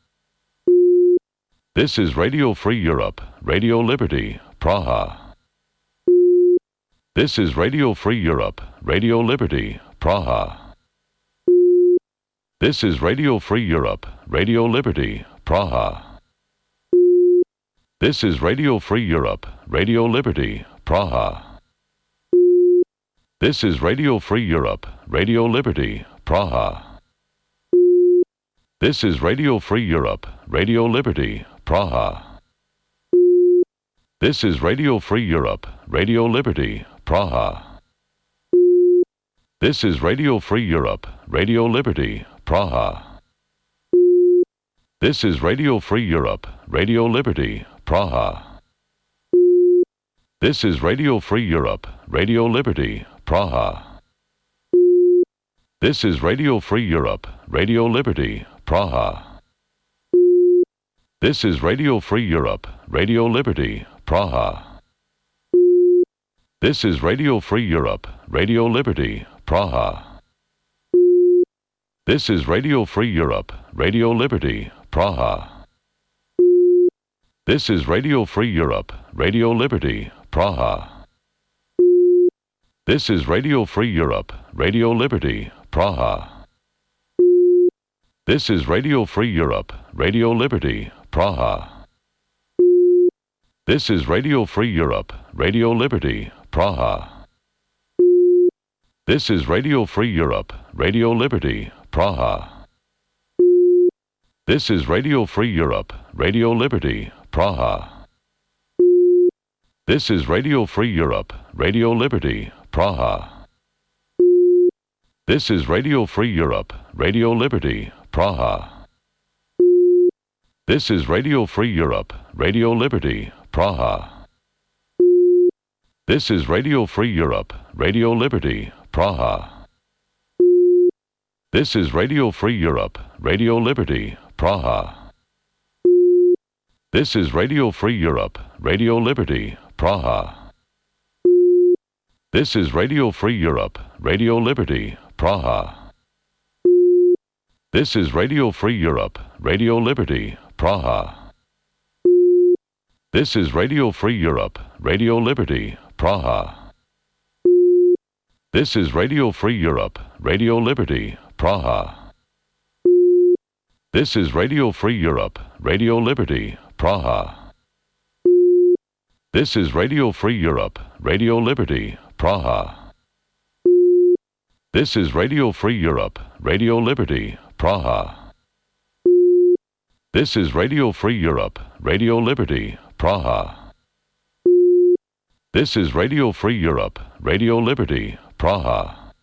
This is Radio Free Europe, Radio Liberty, Praha. This is Radio Free Europe, Radio Liberty, Praha. This is Radio Free Europe, Radio Liberty, Praha. This is Radio Free Europe, Radio Liberty, Praha. This is Radio Free Europe, Radio Liberty, Praha. This is Radio Free Europe, Radio Liberty, Praha. This is Radio Free Europe, Radio Liberty, Praha. This is Radio Free Europe, Radio Liberty, Praha. This is Radio Free Europe, Radio Liberty, Praha. This is Radio Free Europe, Radio Liberty, Praha. This is Radio Free Europe, Radio Liberty, Praha. This is Radio Free Europe, Radio Liberty, Praha. This is Radio Free Europe, Radio Liberty, Praha. This is Radio Free Europe, Radio Liberty, Praha. This is Radio Free Europe, Radio Liberty, Praha. This is Radio Free Europe, Radio Liberty, Praha. This is Radio Free Europe, Radio Liberty, Praha. This is Radio Free Europe, Radio Liberty, Praha. This is Radio Free Europe, Radio Liberty, Praha. This is Radio Free Europe, Radio Liberty, Praha. This is Radio Free Europe, Radio Liberty, Praha. This is Radio Free Europe, Radio Liberty, Praha. This is Radio Free Europe, Radio Liberty, Praha. This is Radio Free Europe, Radio Liberty, Praha. This is Radio Free Europe, Radio Liberty, Praha. This is Radio Free Europe, Radio Liberty, Praha. This is Radio Free Europe, Radio Liberty, Praha. This is Radio Free Europe, Radio Liberty, Praha. This is Radio Free Europe, Radio Liberty, Praha. This is Radio Free Europe, Radio Liberty, Praha. This is Radio Free Europe, Radio Liberty, Praha. This is Radio Free Europe, Radio Liberty, Praha. This is Radio Free Europe, Radio Liberty, Praha. This is Radio Free Europe, Radio Liberty, Praha. This is Radio Free Europe, Radio Liberty, Praha.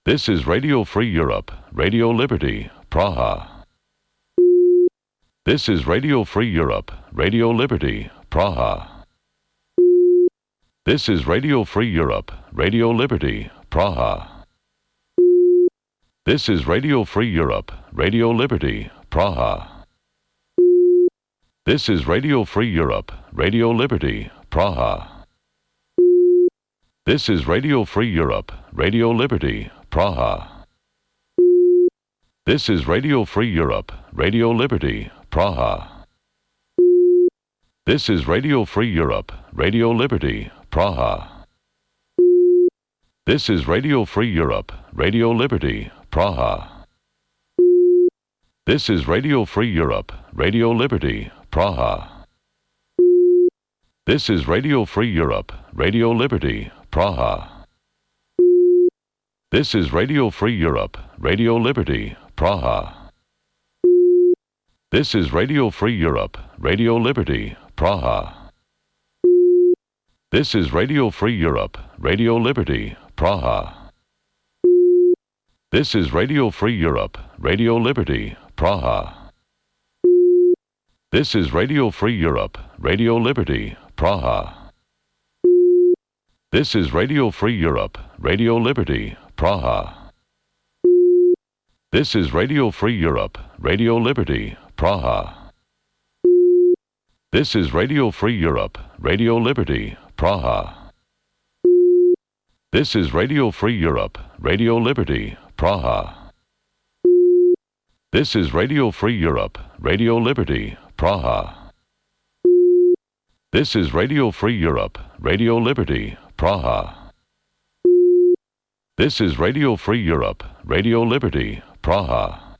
This is Radio Free Europe, Radio Liberty, Praha. This is Radio Free Europe, Radio Liberty, Praha. This is Radio Free Europe, Radio Liberty, Praha. This is Radio Free Europe, Radio Liberty, Praha. This is Radio Free Europe, Radio Liberty, Praha. This is Radio Free Europe, Radio Liberty, Praha. This is Radio Free Europe, Radio Liberty, Praha. This is Radio Free Europe, Radio Liberty, Praha. This is Radio Free Europe, Radio Liberty, Praha. This is Radio Free Europe, Radio Liberty, Praha. This is Radio Free Europe, Radio Liberty, Praha. This is Radio Free Europe, Radio Liberty, Praha. This is Radio Free Europe, Radio Liberty, Praha. This is Radio Free Europe, Radio Liberty, Praha. This is Radio Free Europe, Radio Liberty, Praha. This is Radio Free Europe, Radio Liberty, Praha. This is Radio Free Europe, Radio Liberty, Praha. This is Radio Free Europe, Radio Liberty, Praha. This is Radio Free Europe, Radio Liberty, Praha. This is Radio Free Europe, Radio Liberty, Praha. This is Radio Free Europe, Radio Liberty, Praha. This is Radio Free Europe, Radio Liberty, Praha. This is Radio Free Europe, Radio Liberty, Praha.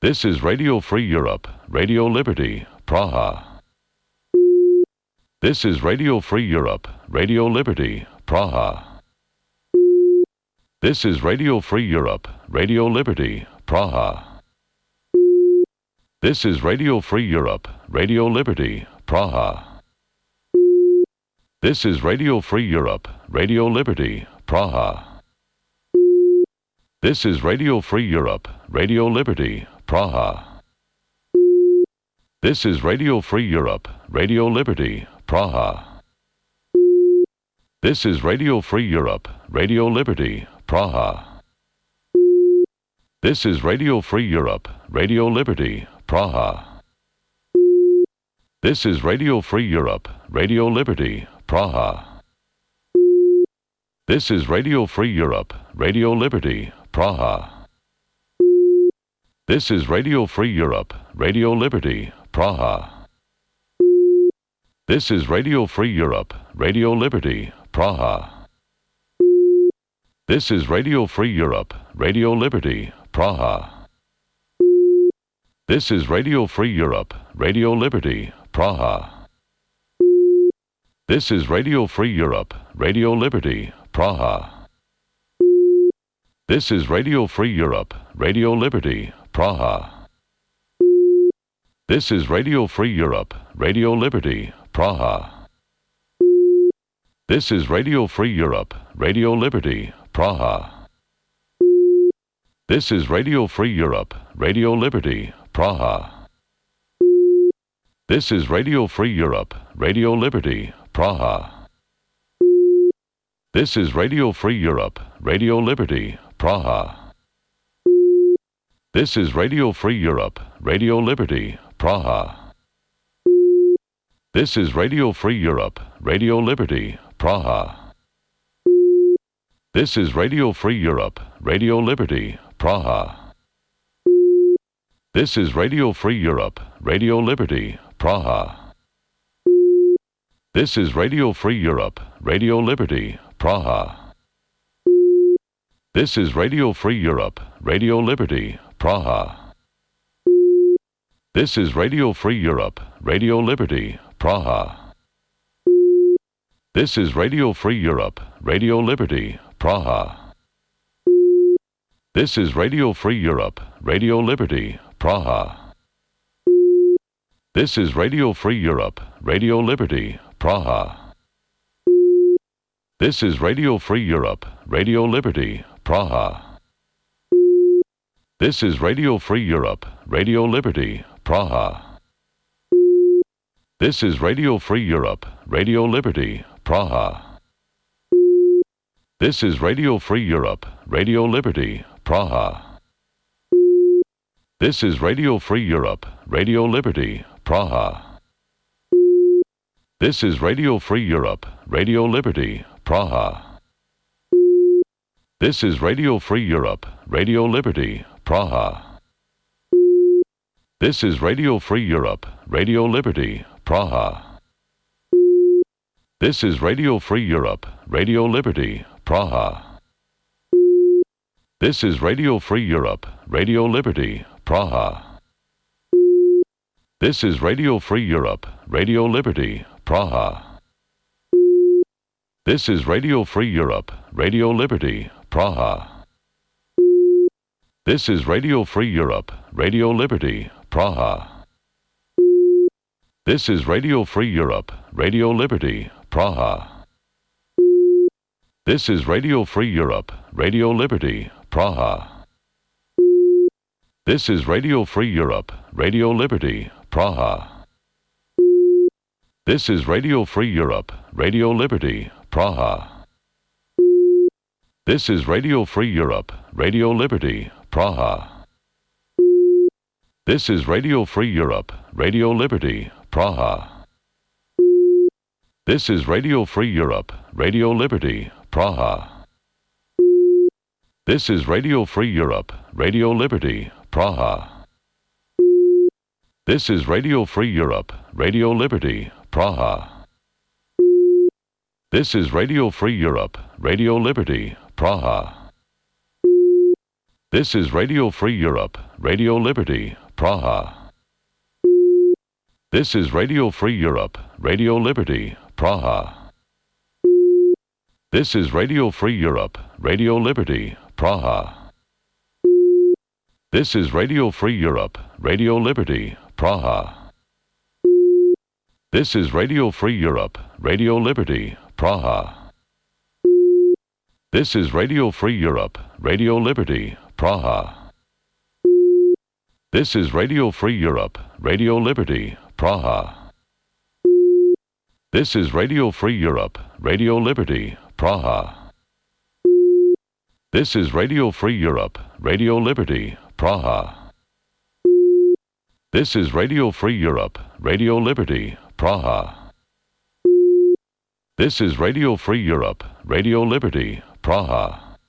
This is Radio Free Europe, Radio Liberty, Praha. This is Radio Free Europe, Radio Liberty, Praha. This is Radio Free Europe, Radio Liberty, Praha. This is Radio Free Europe, Radio Liberty, Praha. This is Radio Free Europe, Radio Liberty, Praha. This is Radio Free Europe, Radio Liberty, Praha. This is Radio Free Europe, Radio Liberty, Praha. This is Radio Free Europe, Radio Liberty, Praha. This is Radio Free Europe, Radio Liberty, Praha. This is Radio Free Europe, Radio Liberty, Praha. This is Radio Free Europe, Radio Liberty, Praha. This is Radio Free Europe, Radio Liberty, Praha. This is Radio Free Europe, Radio Liberty, Praha. This is Radio Free Europe, Radio Liberty, Praha. This is Radio Free Europe, Radio Liberty, Praha. This is Radio Free Europe, Radio Liberty, Praha. This is Radio Free Europe, Radio Liberty, Praha. This is Radio Free Europe, Radio Liberty, Praha. This is Radio Free Europe, Radio Liberty, Praha. This is Radio Free Europe, Radio Liberty, Praha. This is Radio Free Europe, Radio Liberty, Praha. This is Radio Free Europe, Radio Liberty, Praha. This is Radio Free Europe, Radio Liberty, Praha. This is Radio Free Europe, Radio Liberty, Praha. This is Radio Free Europe, Radio Liberty, Praha. This is Radio Free Europe, Radio Liberty, Praha. This is Radio Free Europe, Radio Liberty, Praha. This is Radio Free Europe, Radio Liberty, Praha. This is Radio Free Europe, Radio Liberty, Praha. This is Radio Free Europe, Radio Liberty, Praha. This is Radio Free Europe, Radio Liberty, Praha. This is Radio Free Europe, Radio Liberty, Praha. This is Radio Free Europe, Radio Liberty, Praha. This is Radio Free Europe, Radio Liberty, Praha. This is Radio Free Europe, Radio Liberty, Praha. This is Radio Free Europe, Radio Liberty, Praha. This is Radio Free Europe, Radio Liberty, Praha. This is Radio Free Europe, Radio Liberty, Praha. This is Radio Free Europe, Radio Liberty, Praha. This is Radio Free Europe, Radio Liberty, Praha. This is Radio Free Europe, Radio Liberty, Praha. This is Radio Free Europe, Radio Liberty, Praha. This is Radio Free Europe, Radio Liberty, Praha. This is Radio Free Europe, Radio Liberty, Praha. This is Radio Free Europe, Radio Liberty, Praha. This is Radio Free Europe, Radio Liberty, Praha. This is Radio Free Europe, Radio Liberty, Praha. This is Radio Free Europe, Radio Liberty, Praha. This is Radio Free Europe, Radio Liberty, Praha. This is Radio Free Europe, Radio Liberty, Praha. This is Radio Free Europe, Radio Liberty, Praha. This is Radio Free Europe, Radio Liberty, Praha. This is Radio Free Europe, Radio Liberty, Praha. This is Radio Free Europe, Radio Liberty, Praha. This is Radio Free Europe, Radio Liberty, Praha. This is Radio Free Europe, Radio Liberty, Praha. This is Radio Free Europe, Radio Liberty, Praha. This is Radio Free Europe, Radio Liberty, Praha. This is Radio Free Europe, Radio Liberty, Praha. This is Radio Free Europe, Radio Liberty, Praha. This is Radio Free Europe, Radio Liberty, Praha. This is Radio Free Europe, Radio Liberty, Praha. This is Radio Free Europe, Radio Liberty, Praha. This is Radio Free Europe, Radio Liberty, Praha. This is Radio Free Europe, Radio Liberty, Praha. This is Radio Free Europe, Radio Liberty, Praha.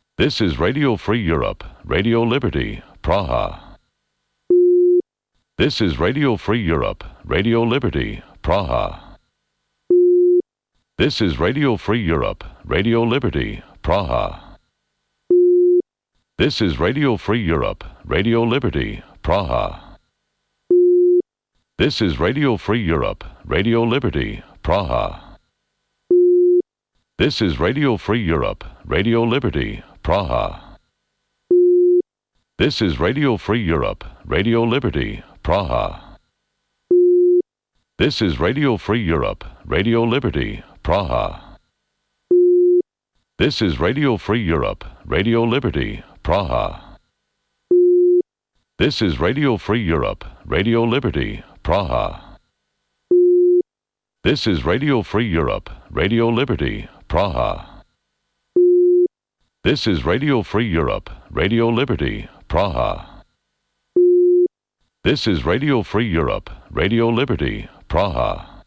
This is Radio Free Europe, Radio Liberty, Praha. This is Radio Free Europe, Radio Liberty, Praha. This is Radio Free Europe, Radio Liberty, Praha. This is Radio Free Europe, Radio Liberty, Praha. This is Radio Free Europe, Radio Liberty, Praha. This is Radio Free Europe, Radio Liberty, Praha. This is Radio Free Europe, Radio Liberty, Praha. This is Radio Free Europe, Radio Liberty, Praha. This is Radio Free Europe, Radio Liberty, Praha. This is Radio Free Europe, Radio Liberty, Praha. This is Radio Free Europe, Radio Liberty, Praha. This is Radio Free Europe, Radio Liberty, Praha. This is Radio Free Europe, Radio Liberty, Praha.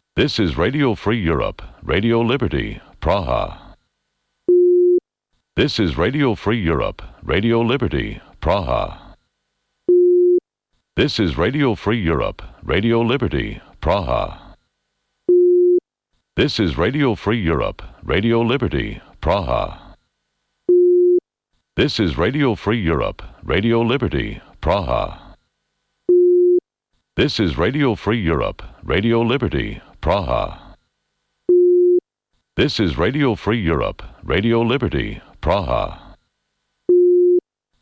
This is Radio Free Europe, Radio Liberty, Praha. This is Radio Free Europe, Radio Liberty, Praha. This is Radio Free Europe, Radio Liberty, Praha. This is Radio Free Europe, Radio Liberty, Praha. This is Radio Free Europe, Radio Liberty, Praha. This is Radio Free Europe, Radio Liberty, Praha. This is Radio Free Europe, Radio Liberty, Praha.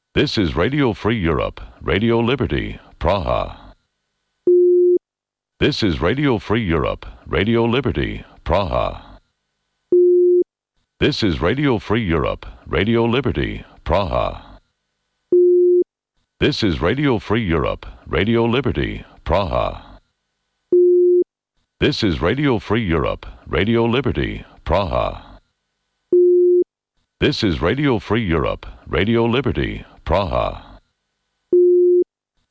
This is Radio Free Europe, Radio Liberty, Praha. This is Radio Free Europe, Radio Liberty, Praha. This is Radio Free Europe, Radio Liberty, Praha. This is Radio Free Europe, Radio Liberty, Praha. This is Radio Free Europe, Radio Liberty, Praha. This is Radio Free Europe, Radio Liberty, Praha.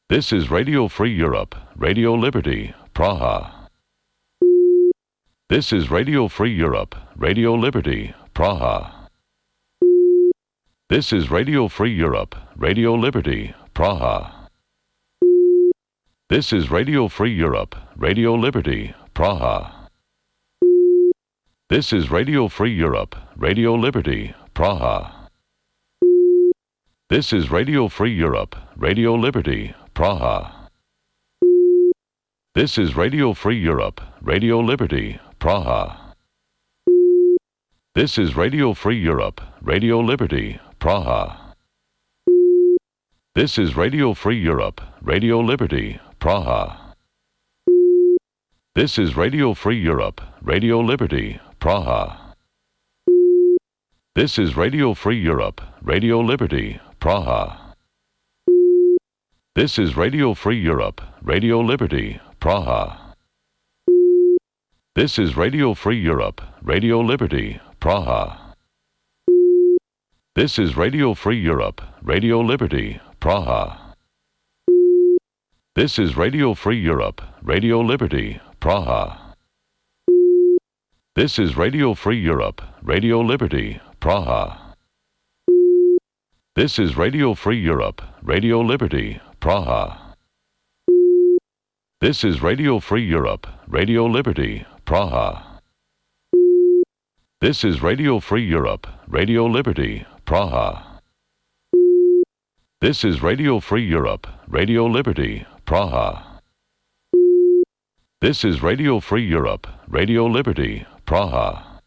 This is Radio Free Europe, Radio Liberty, Praha. This is Radio Free Europe, Radio Liberty, Praha. This is Radio Free Europe, Radio Liberty, Praha. This is Radio Free Europe, Radio Liberty, Praha. This is Radio Free Europe, Radio Liberty, Praha. This is Radio Free Europe, Radio Liberty, Praha. This is Radio Free Europe, Radio Liberty, Praha. This is Radio Free Europe, Radio Liberty, Praha. This is Radio Free Europe, Radio Liberty, Praha. This is Radio Free Europe, Radio Liberty, Praha. This is Radio Free Europe, Radio Liberty, Praha. This is Radio Free Europe, Radio Liberty, Praha. This is Radio Free Europe, Radio Liberty, Praha. This is Radio Free Europe, Radio Liberty, Praha. This is Radio Free Europe, Radio Liberty, Praha. This is Radio Free Europe, Radio Liberty, Praha. This is Radio Free Europe, Radio Liberty, Praha. This is Radio Free Europe, Radio Liberty, Praha. This is Radio Free Europe, Radio Liberty, Praha. This is Radio Free Europe, Radio Liberty, Praha. This is Radio Free Europe, Radio Liberty, Praha.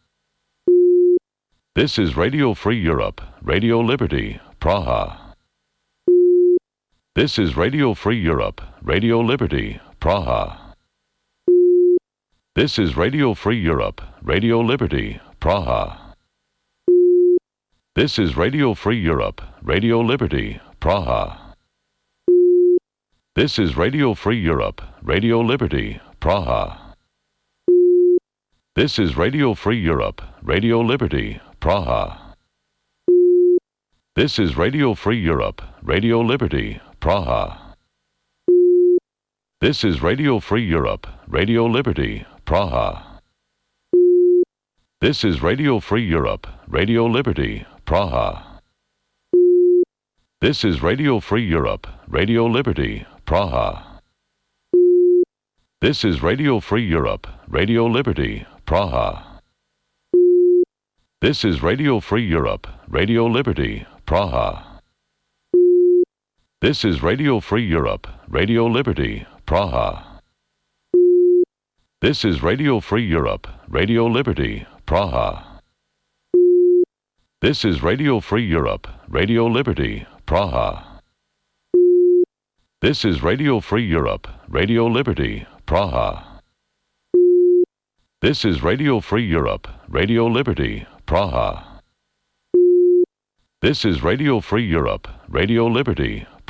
This is Radio Free Europe, Radio Liberty, Praha. This is Radio Free Europe, Radio Liberty, Praha. This is Radio Free Europe, Radio Liberty, Praha. This is Radio Free Europe, Radio Liberty, Praha. This is Radio Free Europe, Radio Liberty, Praha. This is Radio Free Europe, Radio Liberty, Praha. This is Radio Free Europe, Radio Liberty, Praha. This is Radio Free Europe, Radio Liberty, Praha. This is Radio Free Europe, Radio Liberty, Praha. This is Radio Free Europe, Radio Liberty, Praha. This is Radio Free Europe, Radio Liberty, Praha. This is Radio Free Europe, Radio Liberty, Praha. This is Radio Free Europe, Radio Liberty, Praha. This is Radio Free Europe, Radio Liberty, Praha. This is Radio Free Europe, Radio Liberty, Praha. This is Radio Free Europe, Radio Liberty, Praha. This is Radio Free Europe, Radio Liberty, Praha. This is Radio Free Europe, Radio Liberty, Praha. This is Radio Free Europe,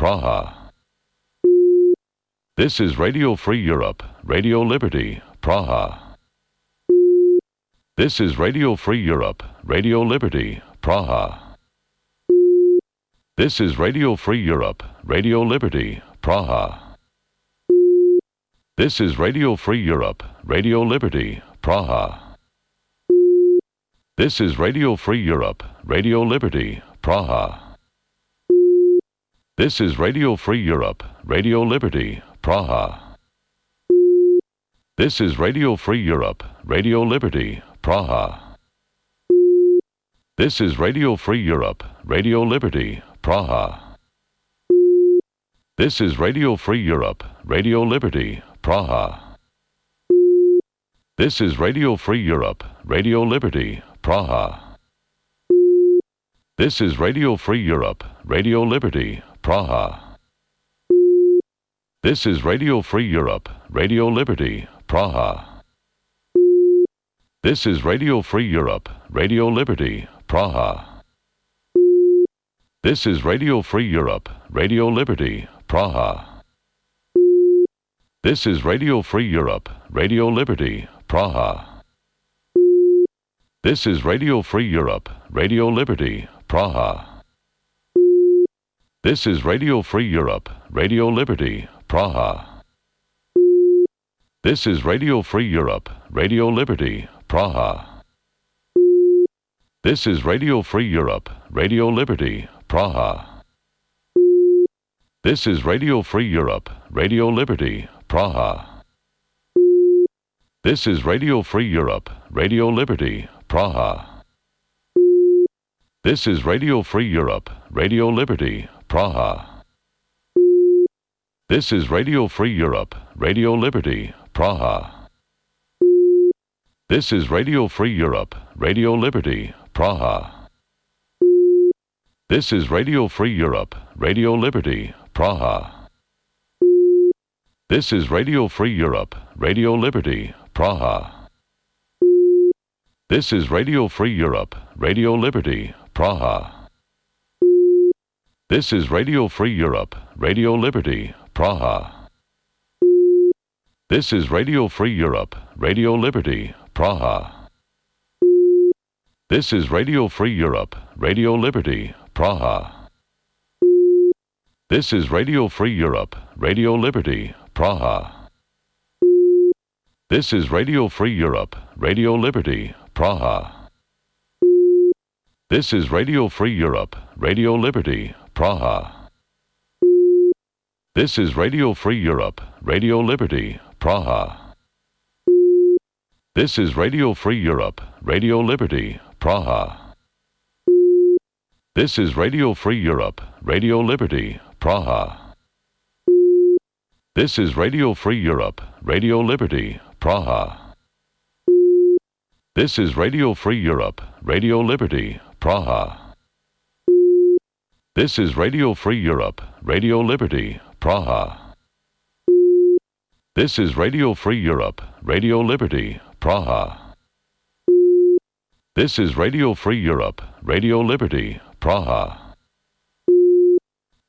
Radio Liberty, Praha. This is Radio Free Europe, Radio Liberty, Praha. This is Radio Free Europe, Radio Liberty, Praha. This is Radio Free Europe, Radio Liberty, Praha. This is Radio Free Europe, Radio Liberty, Praha. This is Radio Free Europe, Radio Liberty, Praha. This is Radio Free Europe, Radio Liberty, Praha. This is Radio Free Europe, Radio Liberty, Praha. This is Radio Free Europe, Radio Liberty, Praha. This is Radio Free Europe, Radio Liberty, Praha. This is Radio Free Europe, Radio Liberty, Praha. This is Radio Free Europe, Radio Liberty, Praha. This is Radio Free Europe, Radio Liberty, Praha. This is Radio Free Europe, Radio Liberty, Praha. This is Radio Free Europe, Radio Liberty, Praha. This is Radio Free Europe, Radio Liberty, Praha. This is Radio Free Europe, Radio Liberty, Praha. This is Radio Free Europe, Radio Liberty, Praha. This is Radio Free Europe, Radio Liberty, Praha. This is Radio Free Europe, Radio Liberty, Praha. This is Radio Free Europe, Radio Liberty, Praha. This is Radio Free Europe, Radio Liberty, Praha. This is Radio Free Europe, Radio Liberty, Praha. This is Radio Free Europe, Radio Liberty, Praha. This is Radio Free Europe, Radio Liberty, Praha. This is Radio Free Europe, Radio Liberty, Praha. This is Radio Free Europe, Radio Liberty, Praha. This is Radio Free Europe, Radio Liberty, Praha. This is Radio Free Europe, Radio Liberty, Praha. This is Radio Free Europe, Radio Liberty, Praha. This is Radio Free Europe, Radio Liberty, Praha. This is Radio Free Europe, Radio Liberty, Praha. This is Radio Free Europe, Radio Liberty, Praha. This is Radio Free Europe, Radio Liberty, Praha. This is Radio Free Europe, Radio Liberty, Praha. This is Radio Free Europe, Radio Liberty, Praha. This is Radio Free Europe, Radio Liberty, Praha. This is Radio Free Europe, Radio Liberty, Praha. This is Radio Free Europe, Radio Liberty, Praha. This is Radio Free Europe, Radio Liberty, Praha. This is Radio Free Europe, Radio Liberty, Praha.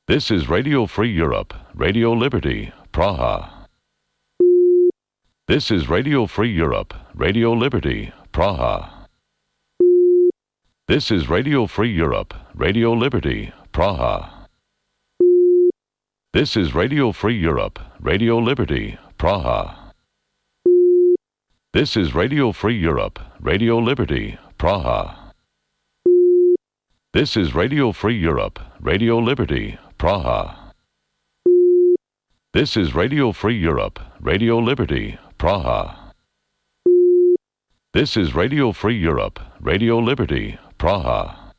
This is Radio Free Europe, Radio Liberty, Praha. This is Radio Free Europe, Radio Liberty, Praha. This is Radio Free Europe, Radio Liberty, Praha. This is Radio Free Europe, Radio Liberty, Praha. This is Radio Free Europe, Radio Liberty, Praha. This is Radio Free Europe, Radio Liberty, Praha. This is Radio Free Europe, Radio Liberty, Praha.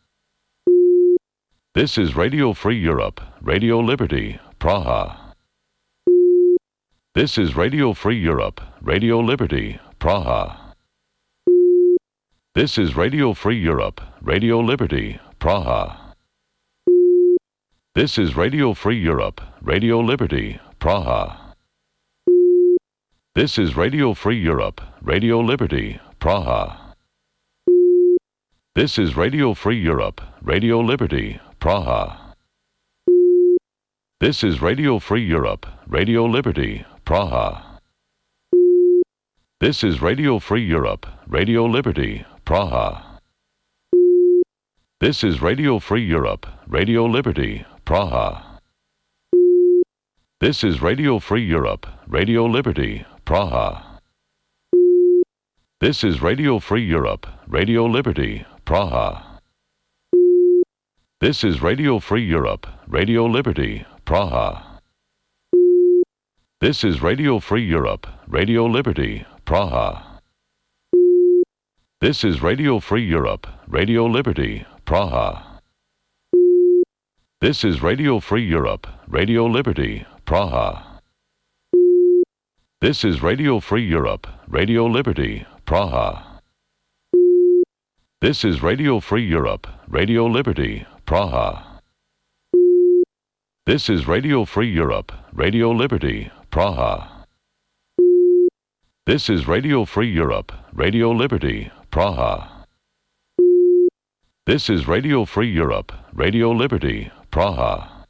This is Radio Free Europe, Radio Liberty, Praha. This is Radio Free Europe, Radio Liberty, Praha. This is Radio Free Europe, Radio Liberty, Praha. This is Radio Free Europe, Radio Liberty, Praha. This is Radio Free Europe, Radio Liberty, Praha. This is Radio Free Europe, Radio Liberty, Praha. This is Radio Free Europe, Radio Liberty, Praha. This is Radio Free Europe, Radio Liberty, Praha. This is Radio Free Europe, Radio Liberty, Praha. This is Radio Free Europe, Radio Liberty, Praha. This is Radio Free Europe, Radio Liberty, Praha. This is Radio Free Europe, Radio Liberty, Praha. This is Radio Free Europe, Radio Liberty, Praha. This is Radio Free Europe, Radio Liberty, Praha. This is Radio Free Europe, Radio Liberty, Praha. This is Radio Free Europe, Radio Liberty, Praha. This is Radio Free Europe, Radio Liberty, Praha. This is Radio Free Europe, Radio Liberty, Praha. This is Radio Free Europe, Radio Liberty, Praha. This is Radio Free Europe, Radio Liberty, Praha. This is Radio Free Europe, Radio Liberty, Praha.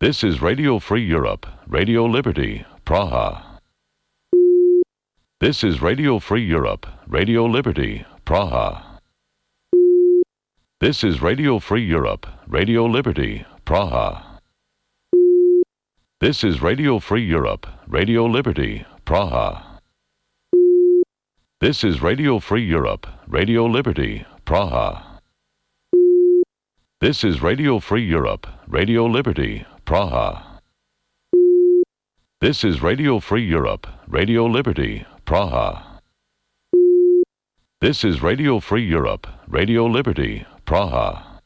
This is Radio Free Europe, Radio Liberty, Praha. This is Radio Free Europe, Radio Liberty, Praha. This is Radio Free Europe, Radio Liberty, Praha. This is Radio Free Europe, Radio Liberty, Praha. This is Radio Free Europe, Radio Liberty, Praha. This is Radio Free Europe, Radio Liberty, Praha. This is Radio Free Europe, Radio Liberty, Praha. This is Radio Free Europe, Radio Liberty, Praha.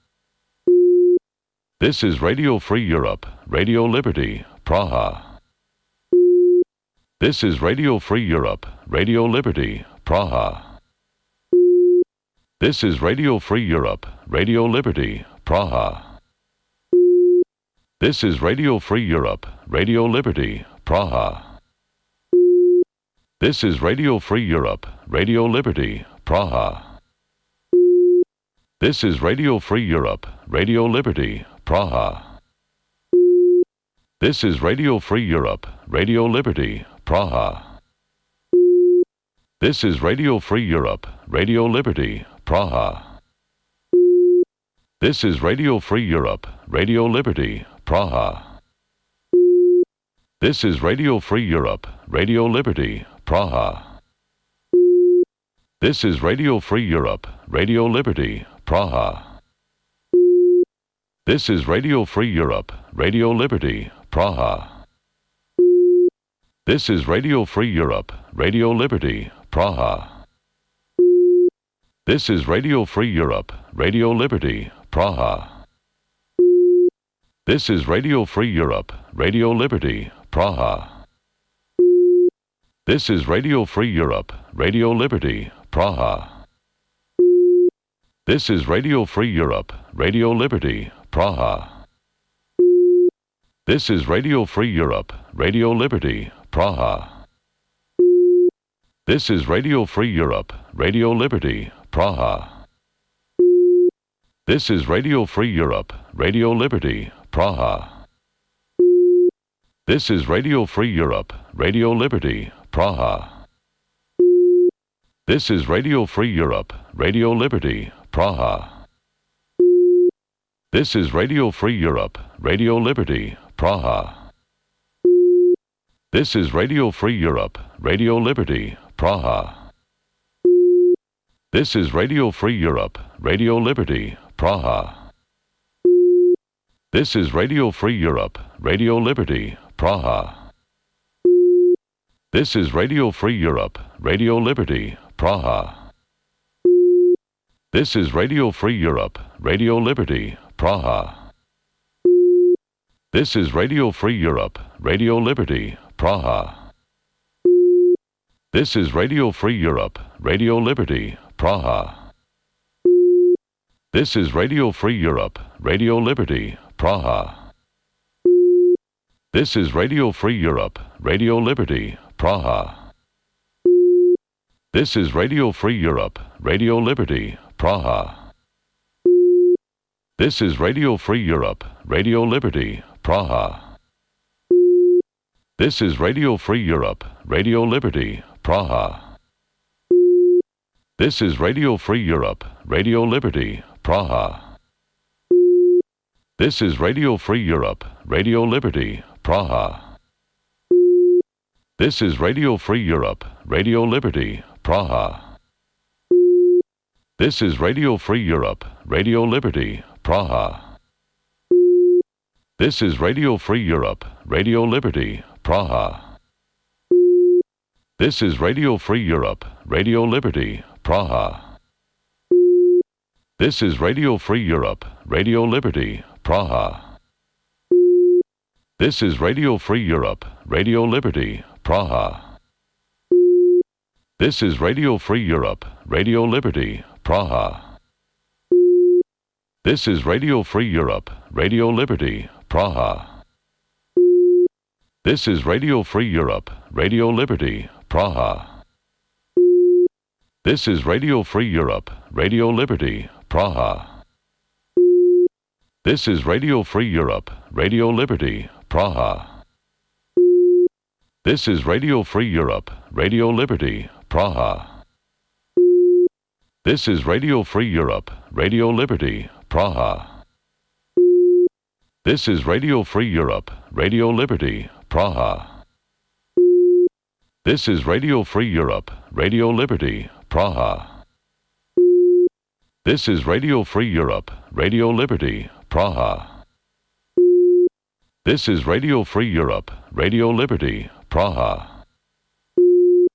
This is Radio Free Europe, Radio Liberty, Praha. This is Radio Free Europe, Radio Liberty, Praha. This is Radio Free Europe, Radio Liberty, Praha. This is Radio Free Europe, Radio Liberty, Praha. This is Radio Free Europe, Radio Liberty, Praha. This is Radio Free Europe, Radio Liberty, Praha. This is Radio Free Europe, Radio Liberty, Praha. This is Radio Free Europe, Radio Liberty, Praha. This is Radio Free Europe, Radio Liberty, Praha. This is Radio Free Europe, Radio Liberty, Praha. This is Radio Free Europe, Radio Liberty, Praha. This is Radio Free Europe, Radio Liberty, Praha. This is Radio Free Europe, Radio Liberty, Praha. This is Radio Free Europe, Radio Liberty, Praha. This is Radio Free Europe, Radio Liberty, Praha. This is Radio Free Europe, Radio Liberty, Praha. This is Radio Free Europe, Radio Liberty, Praha. This is Radio Free Europe, Radio Liberty, Praha. This is Radio Free Europe, Radio Liberty, Praha. This is Radio Free Europe, Radio Liberty, Praha. This is Radio Free Europe, Radio Liberty, Praha. This is Radio Free Europe, Radio Liberty, Praha. This is Radio Free Europe, Radio Liberty, Praha. This is Radio Free Europe, Radio Liberty, Praha. This is Radio Free Europe, Radio Liberty, Praha. This is Radio Free Europe, Radio Liberty, Praha. This is Radio Free Europe, Radio Liberty, Praha. This is Radio Free Europe, Radio Liberty, Praha. This is Radio Free Europe, Radio Liberty, Praha. This is Radio Free Europe, Radio Liberty, Praha. This is Radio Free Europe, Radio Liberty, Praha. This is Radio Free Europe, Radio Liberty, Praha. This is Radio Free Europe, Radio Liberty, Praha. This is Radio Free Europe, Radio Liberty, Praha. This is Radio Free Europe, Radio Liberty, Praha. This is Radio Free Europe, Radio Liberty, Praha. This is Radio Free Europe, Radio Liberty, Praha. This is Radio Free Europe, Radio Liberty, Praha. This is Radio Free Europe, Radio Liberty, Praha. This is Radio Free Europe, Radio Liberty, Praha. This is Radio Free Europe, Radio Liberty, Praha. This is Radio Free Europe, Radio Liberty, Praha. This is Radio Free Europe, Radio Liberty, Praha. This is Radio Free Europe, Radio Liberty, Praha. This is Radio Free Europe, Radio Liberty, Praha. This is Radio Free Europe, Radio Liberty, Praha. This is Radio Free Europe, Radio Liberty, Praha. This is Radio Free Europe, Radio Liberty, Praha. This is Radio Free Europe, Radio Liberty, Praha. This is Radio Free Europe, Radio Liberty, Praha. This is Radio Free Europe, Radio Liberty, Praha. This is Radio Free Europe, Radio Liberty, Praha. This is Radio Free Europe, Radio Liberty, Praha. This is Radio Free Europe, Radio Liberty, Praha.